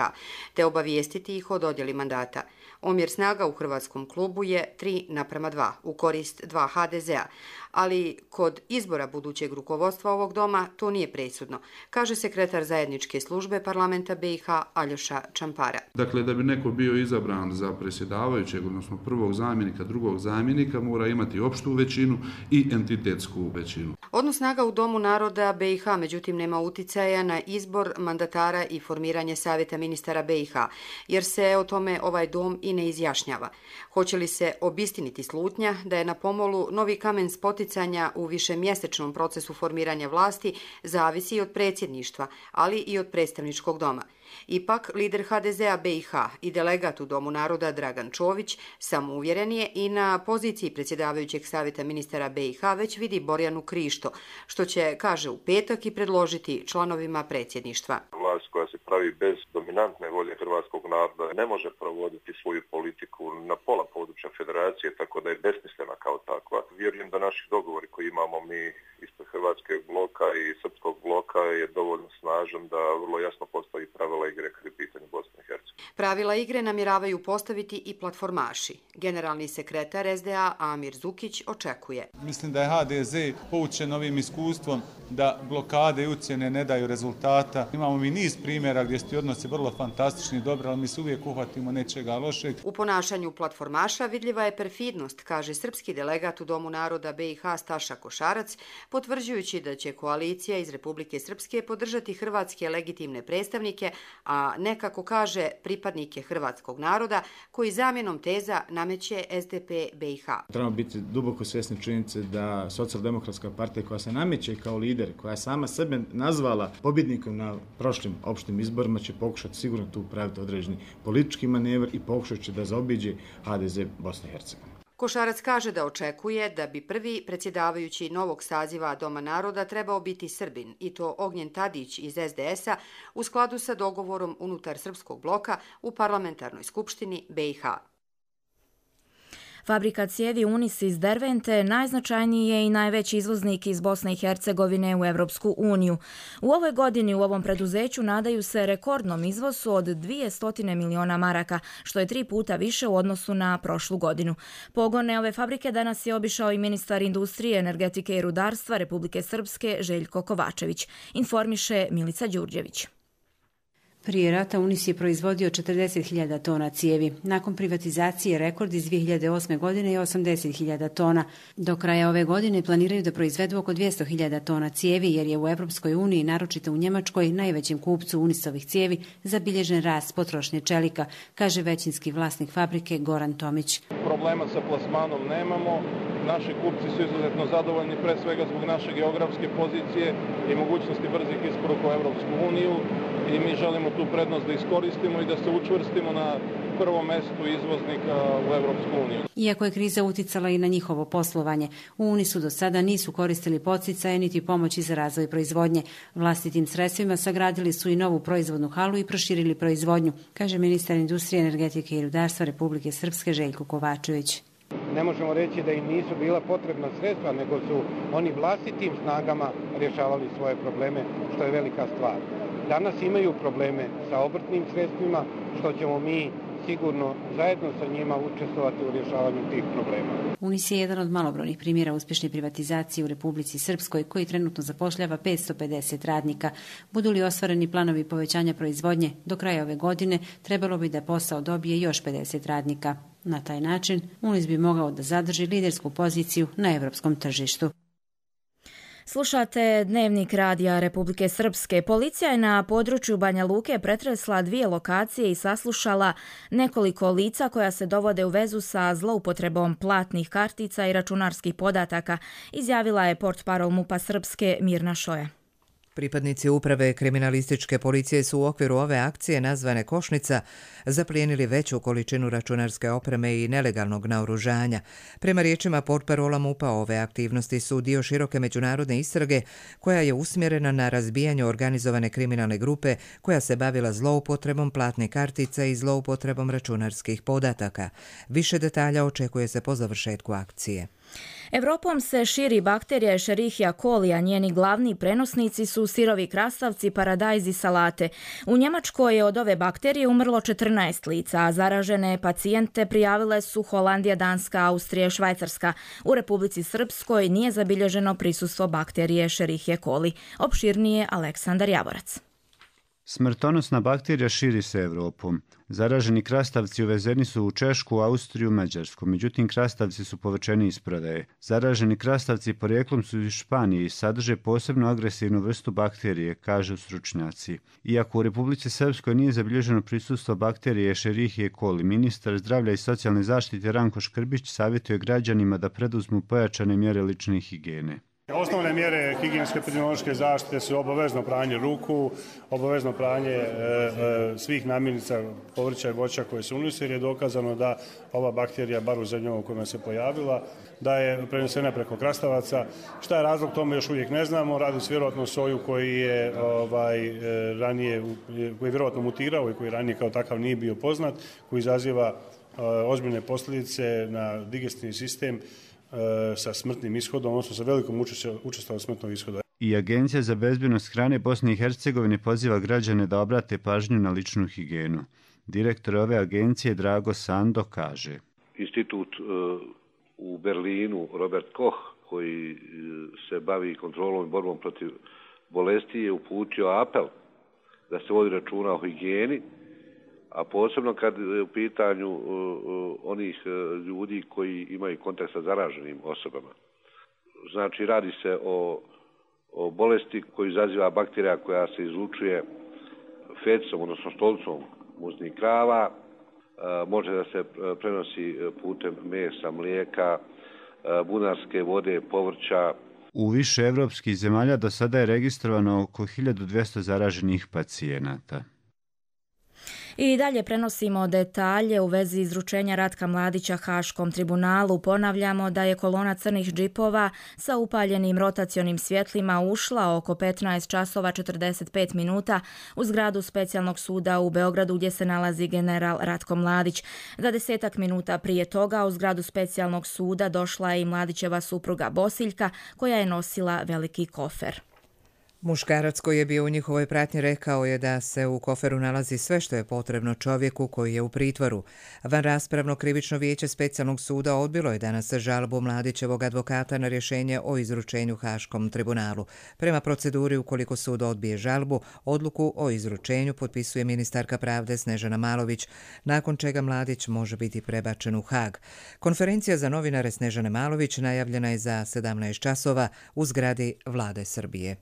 te obavijestiti ih o dodjeli mandata. Omjer snaga u hrvatskom klubu je 3:2 u korist 2 HDZ-a, ali kod izbora budućeg rukovodstva ovog doma to nije presudno, kaže sekretar zajedničke službe parlamenta BiH Aljoša Čampara. Dakle, da bi neko bio izabran za predsjedavajućeg, odnosno prvog zamjenika, drugog zamjenika, mora imati opštu većinu i entitetsku većinu. Odnos snaga u Domu naroda BiH međutim nema uticaja na izbor mandatara i formiranje savjeta ministara BiH, jer se o tome ovaj dom i ne izjašnjava. Hoće li se obistiniti slutnja da je na pomolu novi kamen spoticanja u višemjesečnom procesu formiranja vlasti zavisi i od predsjedništva, ali i od predstavničkog doma. Ipak, lider HDZ-a BiH i delegat u Domu naroda Dragan Čović samouvjeren je i na poziciji predsjedavajućeg savjeta ministara BiH već vidi Borjanu Krišto, što će, kaže, u petak i predložiti članovima predsjedništva. Vlast koja se pravi bez dominantne volje hrvatskog naroda ne može provoditi svoju politiku na pola područja federacije, tako da je besmislena kao takva. Vjerujem da naši dogovori koji imamo mi ispred hrvatskog bloka i srpskog bloka je dovoljno snažan da vrlo jasno postavi pravila igre kad je pitanje Bosne i Hercegovine. Pravila igre namjeravaju postaviti i platformaši. Generalni sekretar SDA Amir Zukić očekuje. Mislim da je HDZ poučen ovim iskustvom da blokade i ucjene ne daju rezultata. Imamo mi niz primjera gdje su ti odnosi vrlo fantastični i dobri, ali mi se uvijek uhvatimo nečega lošeg. U ponašanju platformaša vidljiva je perfidnost, kaže srpski delegat u Domu naroda BiH Staša Košarac, potvrđujući da će koalicija iz Republike Srpske podržati hrvatske legitimne predstavnike, a nekako kaže pripadnike hrvatskog naroda koji zamjenom teza nameće SDP BiH. Trebamo biti duboko svjesni činjenice da Socijaldemokratska partija koja se nameće kao lider, koja je sama sebe nazvala pobjednikom na prošlim opštim izborima, će pokušati sigurno tu praviti određeni politički manevr i pokušat će da zaobiđe HDZ Bosne i Hercegovine. Košarac kaže da očekuje da bi prvi predsjedavajući novog saziva Doma naroda trebao biti Srbin, i to Ognjen Tadić iz SDS-a u skladu sa dogovorom unutar srpskog bloka u parlamentarnoj skupštini BiH. Fabrika cijevi Unis iz Dervente najznačajniji je i najveći izvoznik iz Bosne i Hercegovine u Evropsku uniju. U ovoj godini u ovom preduzeću nadaju se rekordnom izvozu od 200 miliona maraka, što je 3 puta više u odnosu na prošlu godinu. Pogone ove fabrike danas je obišao i ministar industrije, energetike i rudarstva Republike Srpske Željko Kovačević, informiše Milica Đurđević. Prije rata Unis je proizvodio 40.000 tona cijevi. Nakon privatizacije rekord iz 2008. godine je 80.000 tona. Do kraja ove godine planiraju da proizvedu oko 200.000 tona cijevi, jer je u Evropskoj uniji, naročito u Njemačkoj, najvećem kupcu Unisovih cijevi, zabilježen rast potrošnje čelika, kaže većinski vlasnik fabrike Goran Tomić. Problema sa plasmanom nemamo. Naši kupci su izuzetno zadovoljni, pre svega zbog naše geografske pozicije i mogućnosti brzih isporuka u Evropsku uniju. I mi želimo tu prednost da iskoristimo i da se učvrstimo na prvom mestu izvoznika u Evropsku uniju. Iako je kriza uticala i na njihovo poslovanje, u Unisu do sada nisu koristili podsticaje niti pomoći za razvoj proizvodnje. Vlastitim sredstvima sagradili su i novu proizvodnu halu i proširili proizvodnju, kaže ministar industrije, energetike i rudarstva Republike Srpske Željko Kovačević. Ne možemo reći da im nisu bila potrebna sredstva, nego su oni vlastitim snagama rješavali svoje probleme, što je velika stvar. Danas imaju probleme sa obrtnim sredstvima, što ćemo mi sigurno zajedno sa njima učestvovati u rješavanju tih problema. Unis je jedan od malobrojnih primjera uspješne privatizacije u Republici Srpskoj, koji trenutno zapošljava 550 radnika. Budu li ostvareni planovi povećanja proizvodnje, do kraja ove godine trebalo bi da posao dobije još 50 radnika. Na taj način Unis bi mogao da zadrži lidersku poziciju na evropskom tržištu. Slušate Dnevnik radija Republike Srpske. Policija je na području Banja Luke pretresla 2 lokacije i saslušala nekoliko lica koja se dovode u vezu sa zloupotrebom platnih kartica i računarskih podataka, izjavila je portparol MUP-a Srpske Mirna Šoja. Pripadnici uprave kriminalističke policije su u okviru ove akcije nazvane Košnica zaplijenili veću količinu računarske opreme i nelegalnog naoružanja. Prema riječima portparola MUP-a, ove aktivnosti su dio široke međunarodne istrage koja je usmjerena na razbijanje organizovane kriminalne grupe koja se bavila zloupotrebom platnih kartica i zloupotrebom računarskih podataka. Više detalja očekuje se po završetku akcije. Evropom se širi bakterija Escherichia coli, a njeni glavni prenosnici su sirovi krastavci, paradajz i salate. U Njemačkoj je od ove bakterije umrlo 14 lica, a zaražene pacijente prijavile su Holandija, Danska, Austrija i Švajcarska. U Republici Srpskoj nije zabilježeno prisustvo bakterije Escherichia coli. Opširnije Aleksandar Javorac. Smrtonosna bakterija širi se Evropom. Zaraženi krastavci uvezeni su u Češku, Austriju, Mađarsku, međutim krastavci su povučeni iz prodaje. Zaraženi krastavci porijeklom su iz Španije i sadrže posebno agresivnu vrstu bakterije, kažu stručnjaci. Iako u Republici Srpskoj nije zabilježeno prisustvo bakterije Escherichia coli, ministar zdravlja i socijalne zaštite Ranko Škrbić savjetuje građanima da preduzmu pojačane mjere lične higijene. Osnovne mjere higijenske epidemiološke zaštite su obavezno pranje ruku, obavezno pranje svih namirnica, povrća i voća koje se unose, jer je dokazano da ova bakterija, bar u zemljama u kojima se pojavila, da je prenesena preko krastavaca. Šta je razlog tome još uvijek ne znamo, radi se vjerojatno o soju koji je ranije, koji je vjerojatno mutirao i koji ranije kao takav nije bio poznat, koji izaziva ozbiljne posljedice na digestivni sistem sa smrtnim ishodom, odnosno sa velikom učestalom smrtnog ishoda. I Agencija za bezbjednost hrane Bosne i Hercegovine poziva građane da obrate pažnju na ličnu higijenu. Direktor ove agencije Drago Sando kaže: Institut u Berlinu Robert Koch, koji se bavi kontrolom i borbom protiv bolesti, je uputio apel da se vodi računa o higijeni, a posebno kad je u pitanju onih ljudi koji imaju kontakt sa zaraženim osobama. Znači, radi se o bolesti koju izaziva bakterija koja se izlučuje fecom, odnosno stolicom muznih krava, može da se prenosi putem mesa, mlijeka, bunarske vode, povrća. U više evropskih zemalja do sada je registrovano oko 1200 zaraženih pacijenata. I dalje prenosimo detalje u vezi izručenja Ratka Mladića Haškom tribunalu. Ponavljamo da je kolona crnih džipova sa upaljenim rotacionim svjetlima ušla oko 15 časova 45 minuta u zgradu specijalnog suda u Beogradu gdje se nalazi general Ratko Mladić. 20 minuta prije toga u zgradu specijalnog suda došla je i Mladićeva supruga Bosiljka koja je nosila veliki kofer. Muškarac koji je bio u njihovoj pratnji rekao je da se u koferu nalazi sve što je potrebno čovjeku koji je u pritvoru. Vanraspravno krivično vijeće specijalnog suda odbilo je danas žalbu Mladićevog advokata na rješenje o izručenju Haškom tribunalu. Prema proceduri, ukoliko sud odbije žalbu, odluku o izručenju potpisuje ministarka pravde Snežana Malović, nakon čega Mladić može biti prebačen u Hag. Konferencija za novinare Snežane Malović najavljena je za 17 časova u zgradi Vlade Srbije.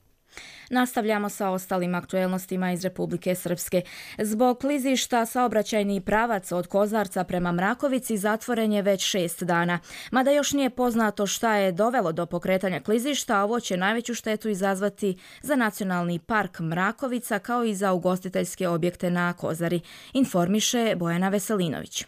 Nastavljamo sa ostalim aktuelnostima iz Republike Srpske. Zbog klizišta saobraćajni pravac od Kozarca prema Mrakovici zatvoren je već 6 dana. Mada još nije poznato šta je dovelo do pokretanja klizišta, ovo će najveću štetu izazvati za Nacionalni park Mrakovica kao i za ugostiteljske objekte na Kozari, informiše Bojana Veselinović.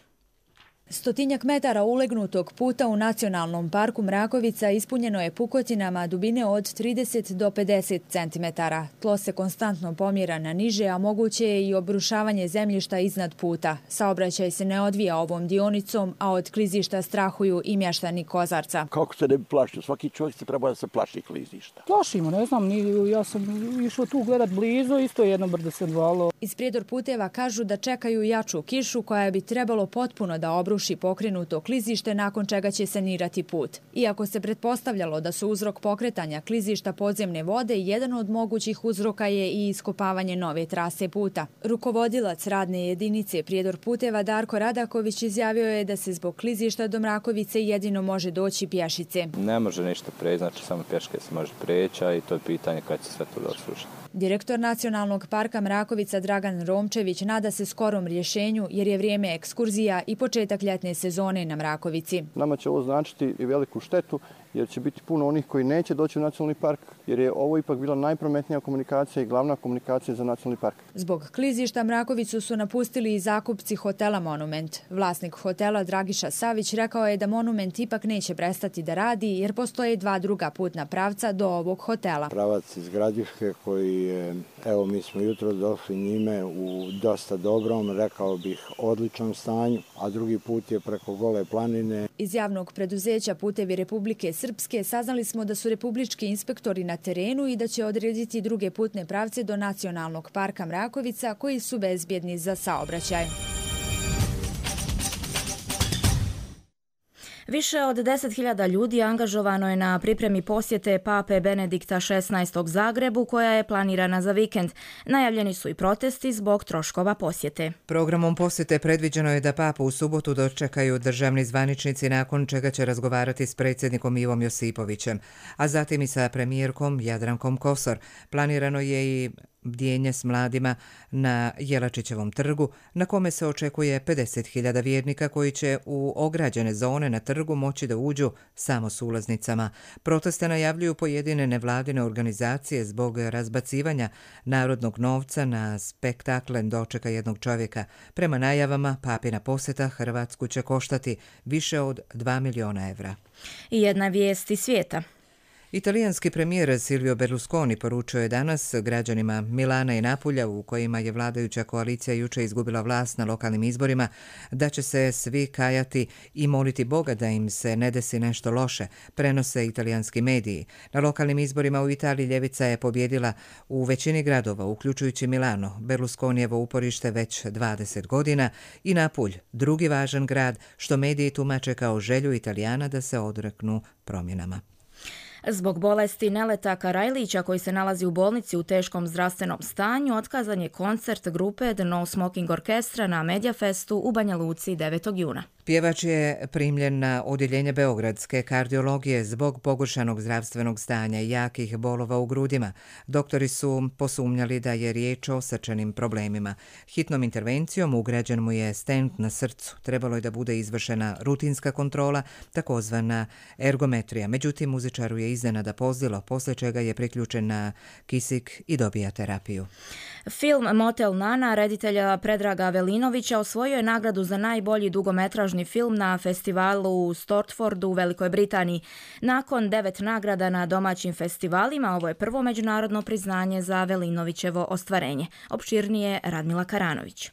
Stotinjak metara ulegnutog puta u Nacionalnom parku Mrakovica ispunjeno je pukotinama dubine od 30 do 50 cm. Tlo se konstantno pomjera na niže, a moguće je i obrušavanje zemljišta iznad puta. Saobraćaj se ne odvija ovom dionicom, a od klizišta strahuju i mještani Kozarca. Kako se ne bi plašio? Svaki čovjek se treba da se plaši klizišta. Plašimo, ne znam, ja sam išao tu gledat blizu, isto jedno brdo se odvalo. Iz Prijedor puteva kažu da čekaju jaču kišu koja bi trebalo potpuno da obruši pokrenuto klizište, nakon čega će sanirati put. Iako se pretpostavljalo da su uzrok pokretanja klizišta podzemne vode, jedan od mogućih uzroka je i iskopavanje nove trase puta. Rukovodilac radne jedinice Prijedor puteva Darko Radaković izjavio je da se zbog klizišta do Mrakovice jedino može doći pješice. Ne može ništa preći, znači samo pješke se može preći, a i to je pitanje kad će sve to doslušati. Direktor Nacionalnog parka Mrakovica Dragan Romčević nada se skorom rješenju jer je vrijeme ekskurzija i početak ljetne sezone na Mrakovici. Nama će ovo značiti i veliku štetu jer će biti puno onih koji neće doći u nacionalni park jer je ovo ipak bila najprometnija komunikacija i glavna komunikacija za nacionalni park. Zbog klizišta Mrakovicu su napustili i zakupci hotela Monument. Vlasnik hotela Dragiša Savić rekao je da Monument ipak neće prestati da radi jer postoje 2 druga putna pravca do ovog hotela. Pravac iz Gradiške koji je, evo mi smo jutro došli njime u dosta dobrom, rekao bih odličnom stanju, a drugi put je preko Gole planine. Iz javnog preduzeća Putevi Republike Srpske saznali smo da su republički inspektori na terenu i da će odrediti druge putne pravce do Nacionalnog parka Mrakovica koji su bezbjedni za saobraćaj. Više od 10.000 ljudi angažovano je na pripremi posjete Pape Benedikta XVI Zagrebu koja je planirana za vikend. Najavljeni su i protesti zbog troškova posjete. Programom posjete predviđeno je da papu u subotu dočekaju državni zvaničnici, nakon čega će razgovarati s predsjednikom Ivom Josipovićem, a zatim i sa premijerkom Jadrankom Kosor. Planirano je i bdjenje s mladima na Jelačićevom trgu, na kome se očekuje 50.000 vjernika koji će u ograđene zone na trgu moći da uđu samo s ulaznicama. Proteste najavljuju pojedine nevladine organizacije zbog razbacivanja narodnog novca na spektaklen dočeka jednog čovjeka. Prema najavama, papina posjeta Hrvatsku će koštati više od 2 miliona evra. I jedna vijest iz svijeta. Italijanski premijer Silvio Berlusconi poručio je danas građanima Milana i Napulja, u kojima je vladajuća koalicija jučer izgubila vlast na lokalnim izborima, da će se svi kajati i moliti Boga da im se ne desi nešto loše, prenose italijanski mediji. Na lokalnim izborima u Italiji ljevica je pobjedila u većini gradova, uključujući Milano, Berlusconijevo uporište već 20 godina, i Napulj, drugi važan grad, što mediji tumače kao želju Italijana da se odreknu promjenama. Zbog bolesti Neleta Karajlića, koji se nalazi u bolnici u teškom zdravstvenom stanju, otkazan je koncert grupe The No Smoking Orkestra na Mediafestu u Banja Luci 9. juna. Pjevač je primljen na odjeljenje beogradske kardiologije zbog pogoršanog zdravstvenog stanja i jakih bolova u grudima. Doktori su posumnjali da je riječ o srčanim problemima. Hitnom intervencijom ugrađen mu je stent na srcu. Trebalo je da bude izvršena rutinska kontrola, takozvana ergometrija. Međutim, muzičaru je iznenada pozlilo, poslije čega je priključen na kisik i dobija terapiju. Film Motel Nana reditelja Predraga Velinovića osvojio je nagradu za najbolji dugometražni film na festivalu u Stortfordu u Velikoj Britaniji. Nakon 9 nagrada na domaćim festivalima, ovo je prvo međunarodno priznanje za Velinovićevo ostvarenje. Opširnije Radmila Karanović.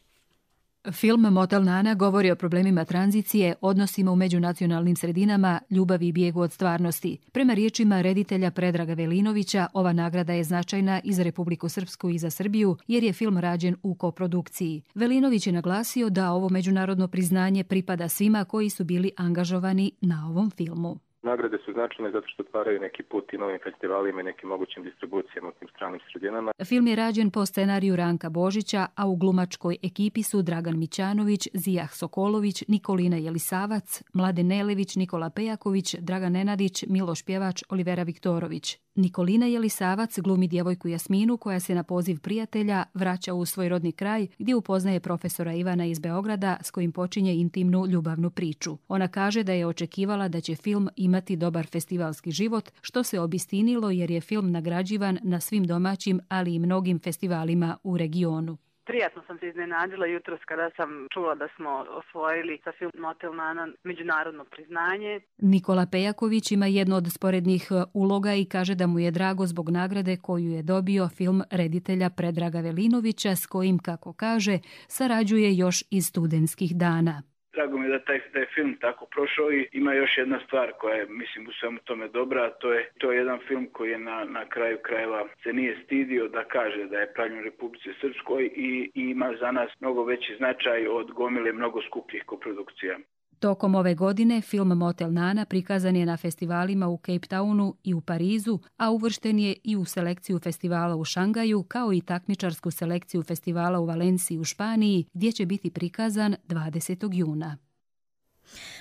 Film Motel Nana govori o problemima tranzicije, odnosima u međunacionalnim sredinama, ljubavi i bijegu od stvarnosti. Prema riječima reditelja Predraga Velinovića, ova nagrada je značajna i za Republiku Srpsku i za Srbiju, jer je film rađen u koprodukciji. Velinović je naglasio da ovo međunarodno priznanje pripada svima koji su bili angažovani na ovom filmu. Nagrade su značajne zato što otvaraju neki put i novim festivalima i nekim mogućim distribucijama u tim stranim sredinama. Film je rađen po scenariju Ranka Božića, a u glumačkoj ekipi su Dragan Mićanović, Zijah Sokolović, Nikolina Jelisavac, Mladen Nelević, Nikola Pejaković, Dragan Nenadić, Miloš Pjevač, Olivera Viktorović. Nikolina Jelisavac glumi djevojku Jasminu koja se na poziv prijatelja vraća u svoj rodni kraj gdje upoznaje profesora Ivana iz Beograda s kojim počinje intimnu ljubavnu priču. Ona kaže da je očekivala da će film imati dobar festivalski život, što se obistinilo jer je film nagrađivan na svim domaćim, ali i mnogim festivalima u regionu. Prijatno sam se iznenadila jutros kada sam čula da smo osvojili sa film Motel Nana međunarodno priznanje. Nikola Pejaković ima jednu od sporednih uloga i kaže da mu je drago zbog nagrade koju je dobio film reditelja Predraga Velinovića s kojim, kako kaže, sarađuje još iz studentskih dana. Drago mi je da taj film tako prošao i ima još jedna stvar koja je, mislim, u svemu tome dobra, a to je jedan film koji je na kraju krajeva se nije stidio da kaže da je pravljen u Republici Srpskoj i ima za nas mnogo veći značaj od gomile mnogo skupljih koprodukcija. Tokom ove godine film Motel Nana prikazan je na festivalima u Cape Townu i u Parizu, a uvršten je i u selekciju festivala u Šangaju, kao i takmičarsku selekciju festivala u Valenciji u Španiji, gdje će biti prikazan 20. juna.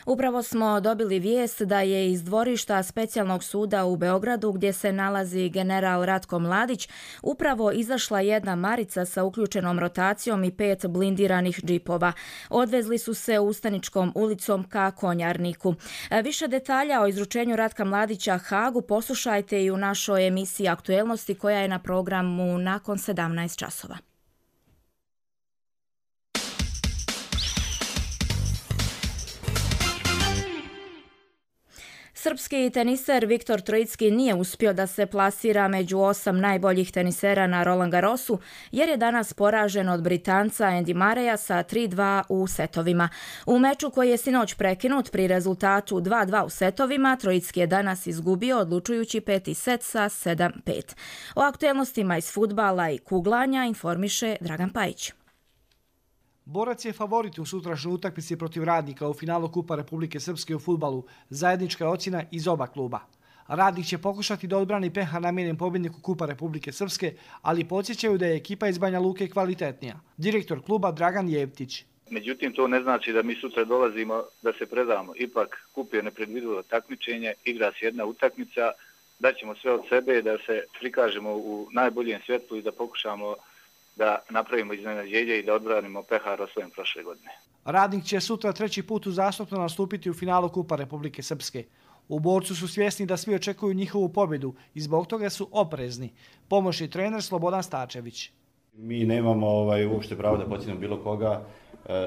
Upravo smo dobili vijest da je iz dvorišta Specijalnog suda u Beogradu, gdje se nalazi general Ratko Mladić, upravo izašla jedna marica sa uključenom rotacijom i 5 blindiranih džipova. Odvezli su se Ustaničkom ulicom ka Konjarniku. Više detalja o izručenju Ratka Mladića Hagu poslušajte i u našoj emisiji Aktuelnosti koja je na programu nakon 17 časova. Srpski teniser Viktor Trojicki nije uspio da se plasira među 8 najboljih tenisera na Roland Garrosu, jer je danas poražen od Britanca Andy Murraya sa 3-2 u setovima. U meču koji je sinoć prekinut pri rezultatu 2-2 u setovima, Trojicki je danas izgubio odlučujući 5. set sa 7-5. O aktuelnostima iz fudbala i kuglanja informiše Dragan Pajić. Borac je favorit u sutrašnjoj utakmici protiv Radnika u finalu Kupa Republike Srpske u fudbalu. Zajednička je ocjena iz oba kluba. Radnik će pokušati da odbrani peha namijenjen pobjedniku Kupa Republike Srpske, ali podsjećaju da je ekipa iz Banja Luke kvalitetnija. Direktor kluba Dragan Jevtić. Međutim, to ne znači da mi sutra dolazimo da se predamo. Ipak kup je nepredvidivo takmičenje, igra se jedna utakmica, daćemo sve od sebe da se prikažemo u najboljem svjetlu i da pokušamo da napravimo iznenađenje i da odbranimo pehar osvojen prošle godine. Radnik će sutra 3. put uzastopno nastupiti u finalu Kupa Republike Srpske. U Borcu su svjesni da svi očekuju njihovu pobjedu i zbog toga su oprezni. Pomoćni trener Slobodan Stačević. Mi nemamo uopšte pravo da podsjetimo bilo koga,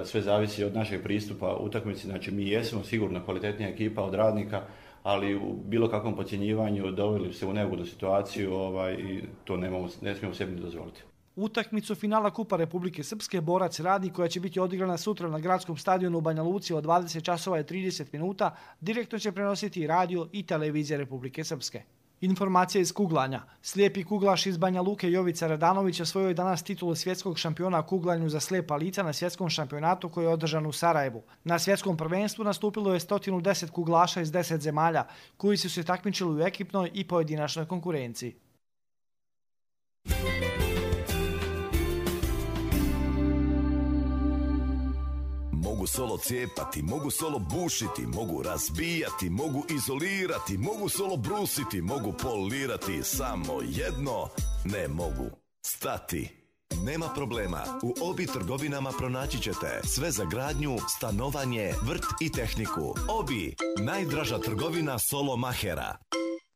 sve zavisi od našeg pristupa utakmici. Znači mi jesmo sigurno kvalitetnija ekipa od Radnika, ali u bilo kakvom podcjenjivanju doveli se u neugodnu situaciju i to ne smijemo sebi dozvoliti. Utakmicu finala Kupa Republike Srpske Borac Radnik, koja će biti odigrana sutra na gradskom stadionu u Banja Luci od 20 časova i 30 minuta, direktno će prenositi radio i televizija Republike Srpske. Informacija iz kuglanja. Slijepi kuglaš iz Banja Luke Jovica Radanović osvojio je danas titulu svjetskog šampiona u kuglanju za slijepa lica na svjetskom šampionatu koji je održan u Sarajevu. Na svjetskom prvenstvu nastupilo je 110 kuglaša iz 10 zemalja, koji su se takmičili u ekipnoj i pojedinačnoj konkurenciji. Mogu solo cijepati, mogu solo bušiti, mogu razbijati, mogu izolirati, mogu solo brusiti, mogu polirati, samo jedno ne mogu stati. Nema problema, u Obi trgovinama pronaći ćete sve za gradnju, stanovanje, vrt i tehniku. Obi, najdraža trgovina solo mahera.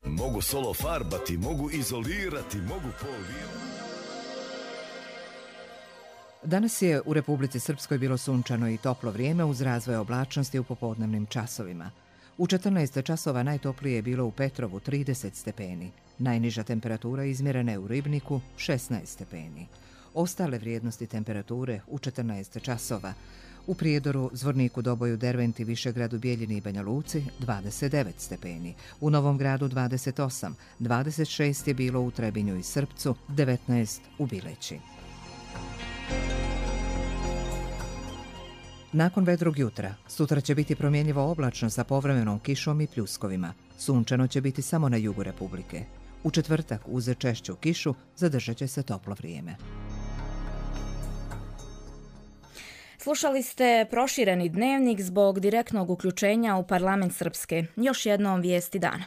Mogu solo farbati, mogu izolirati, mogu polirati. Danas je u Republici Srpskoj bilo sunčano i toplo vrijeme uz razvoj oblačnosti u popodnevnim časovima. U 14 časova najtoplije je bilo u Petrovu 30 stepeni. Najniža temperatura izmjerena je u Ribniku 16 stepeni. Ostale vrijednosti temperature u 14 časova. U Prijedoru, Zvorniku, Doboju, Derventi, Višegradu, Bijeljini i Banja Luci 29 stepeni. U Novom Gradu 28, 26 je bilo u Trebinju i Srpcu, 19 u Bileći. Nakon vedrog jutra, sutra će biti promjenjivo oblačno sa povremenom kišom i pljuskovima. Sunčano će biti samo na jugu Republike. U četvrtak, uz češću kišu, zadržat će se toplo vrijeme. Slušali ste prošireni dnevnik zbog direktnog uključenja u parlament Srpske. Još jednom vijesti dana.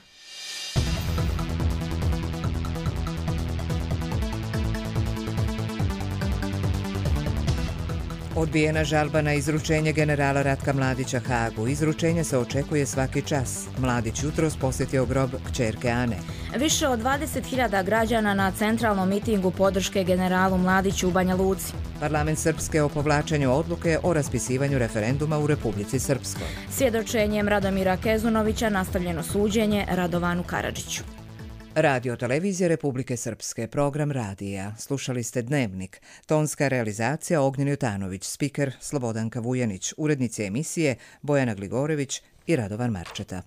Odbijena žalba na izručenje generala Ratka Mladića Hagu. Izručenje se očekuje svaki čas. Mladić jutros posjetio grob kćerke Ane. Više od 20.000 građana na centralnom mitingu podrške generalu Mladiću u Banja Luci. Parlament Srpske o povlačenju odluke o raspisivanju referenduma u Republici Srpskoj. Svjedočenjem Radomira Kezunovića nastavljeno suđenje Radovanu Karadžiću. Radio televizije Republike Srpske, program radija. Slušali ste Dnevnik. Tonska realizacija Ognjen Jutanović, spiker Slobodanka Vujanić, urednici emisije Bojana Gligorević i Radovan Marčeta.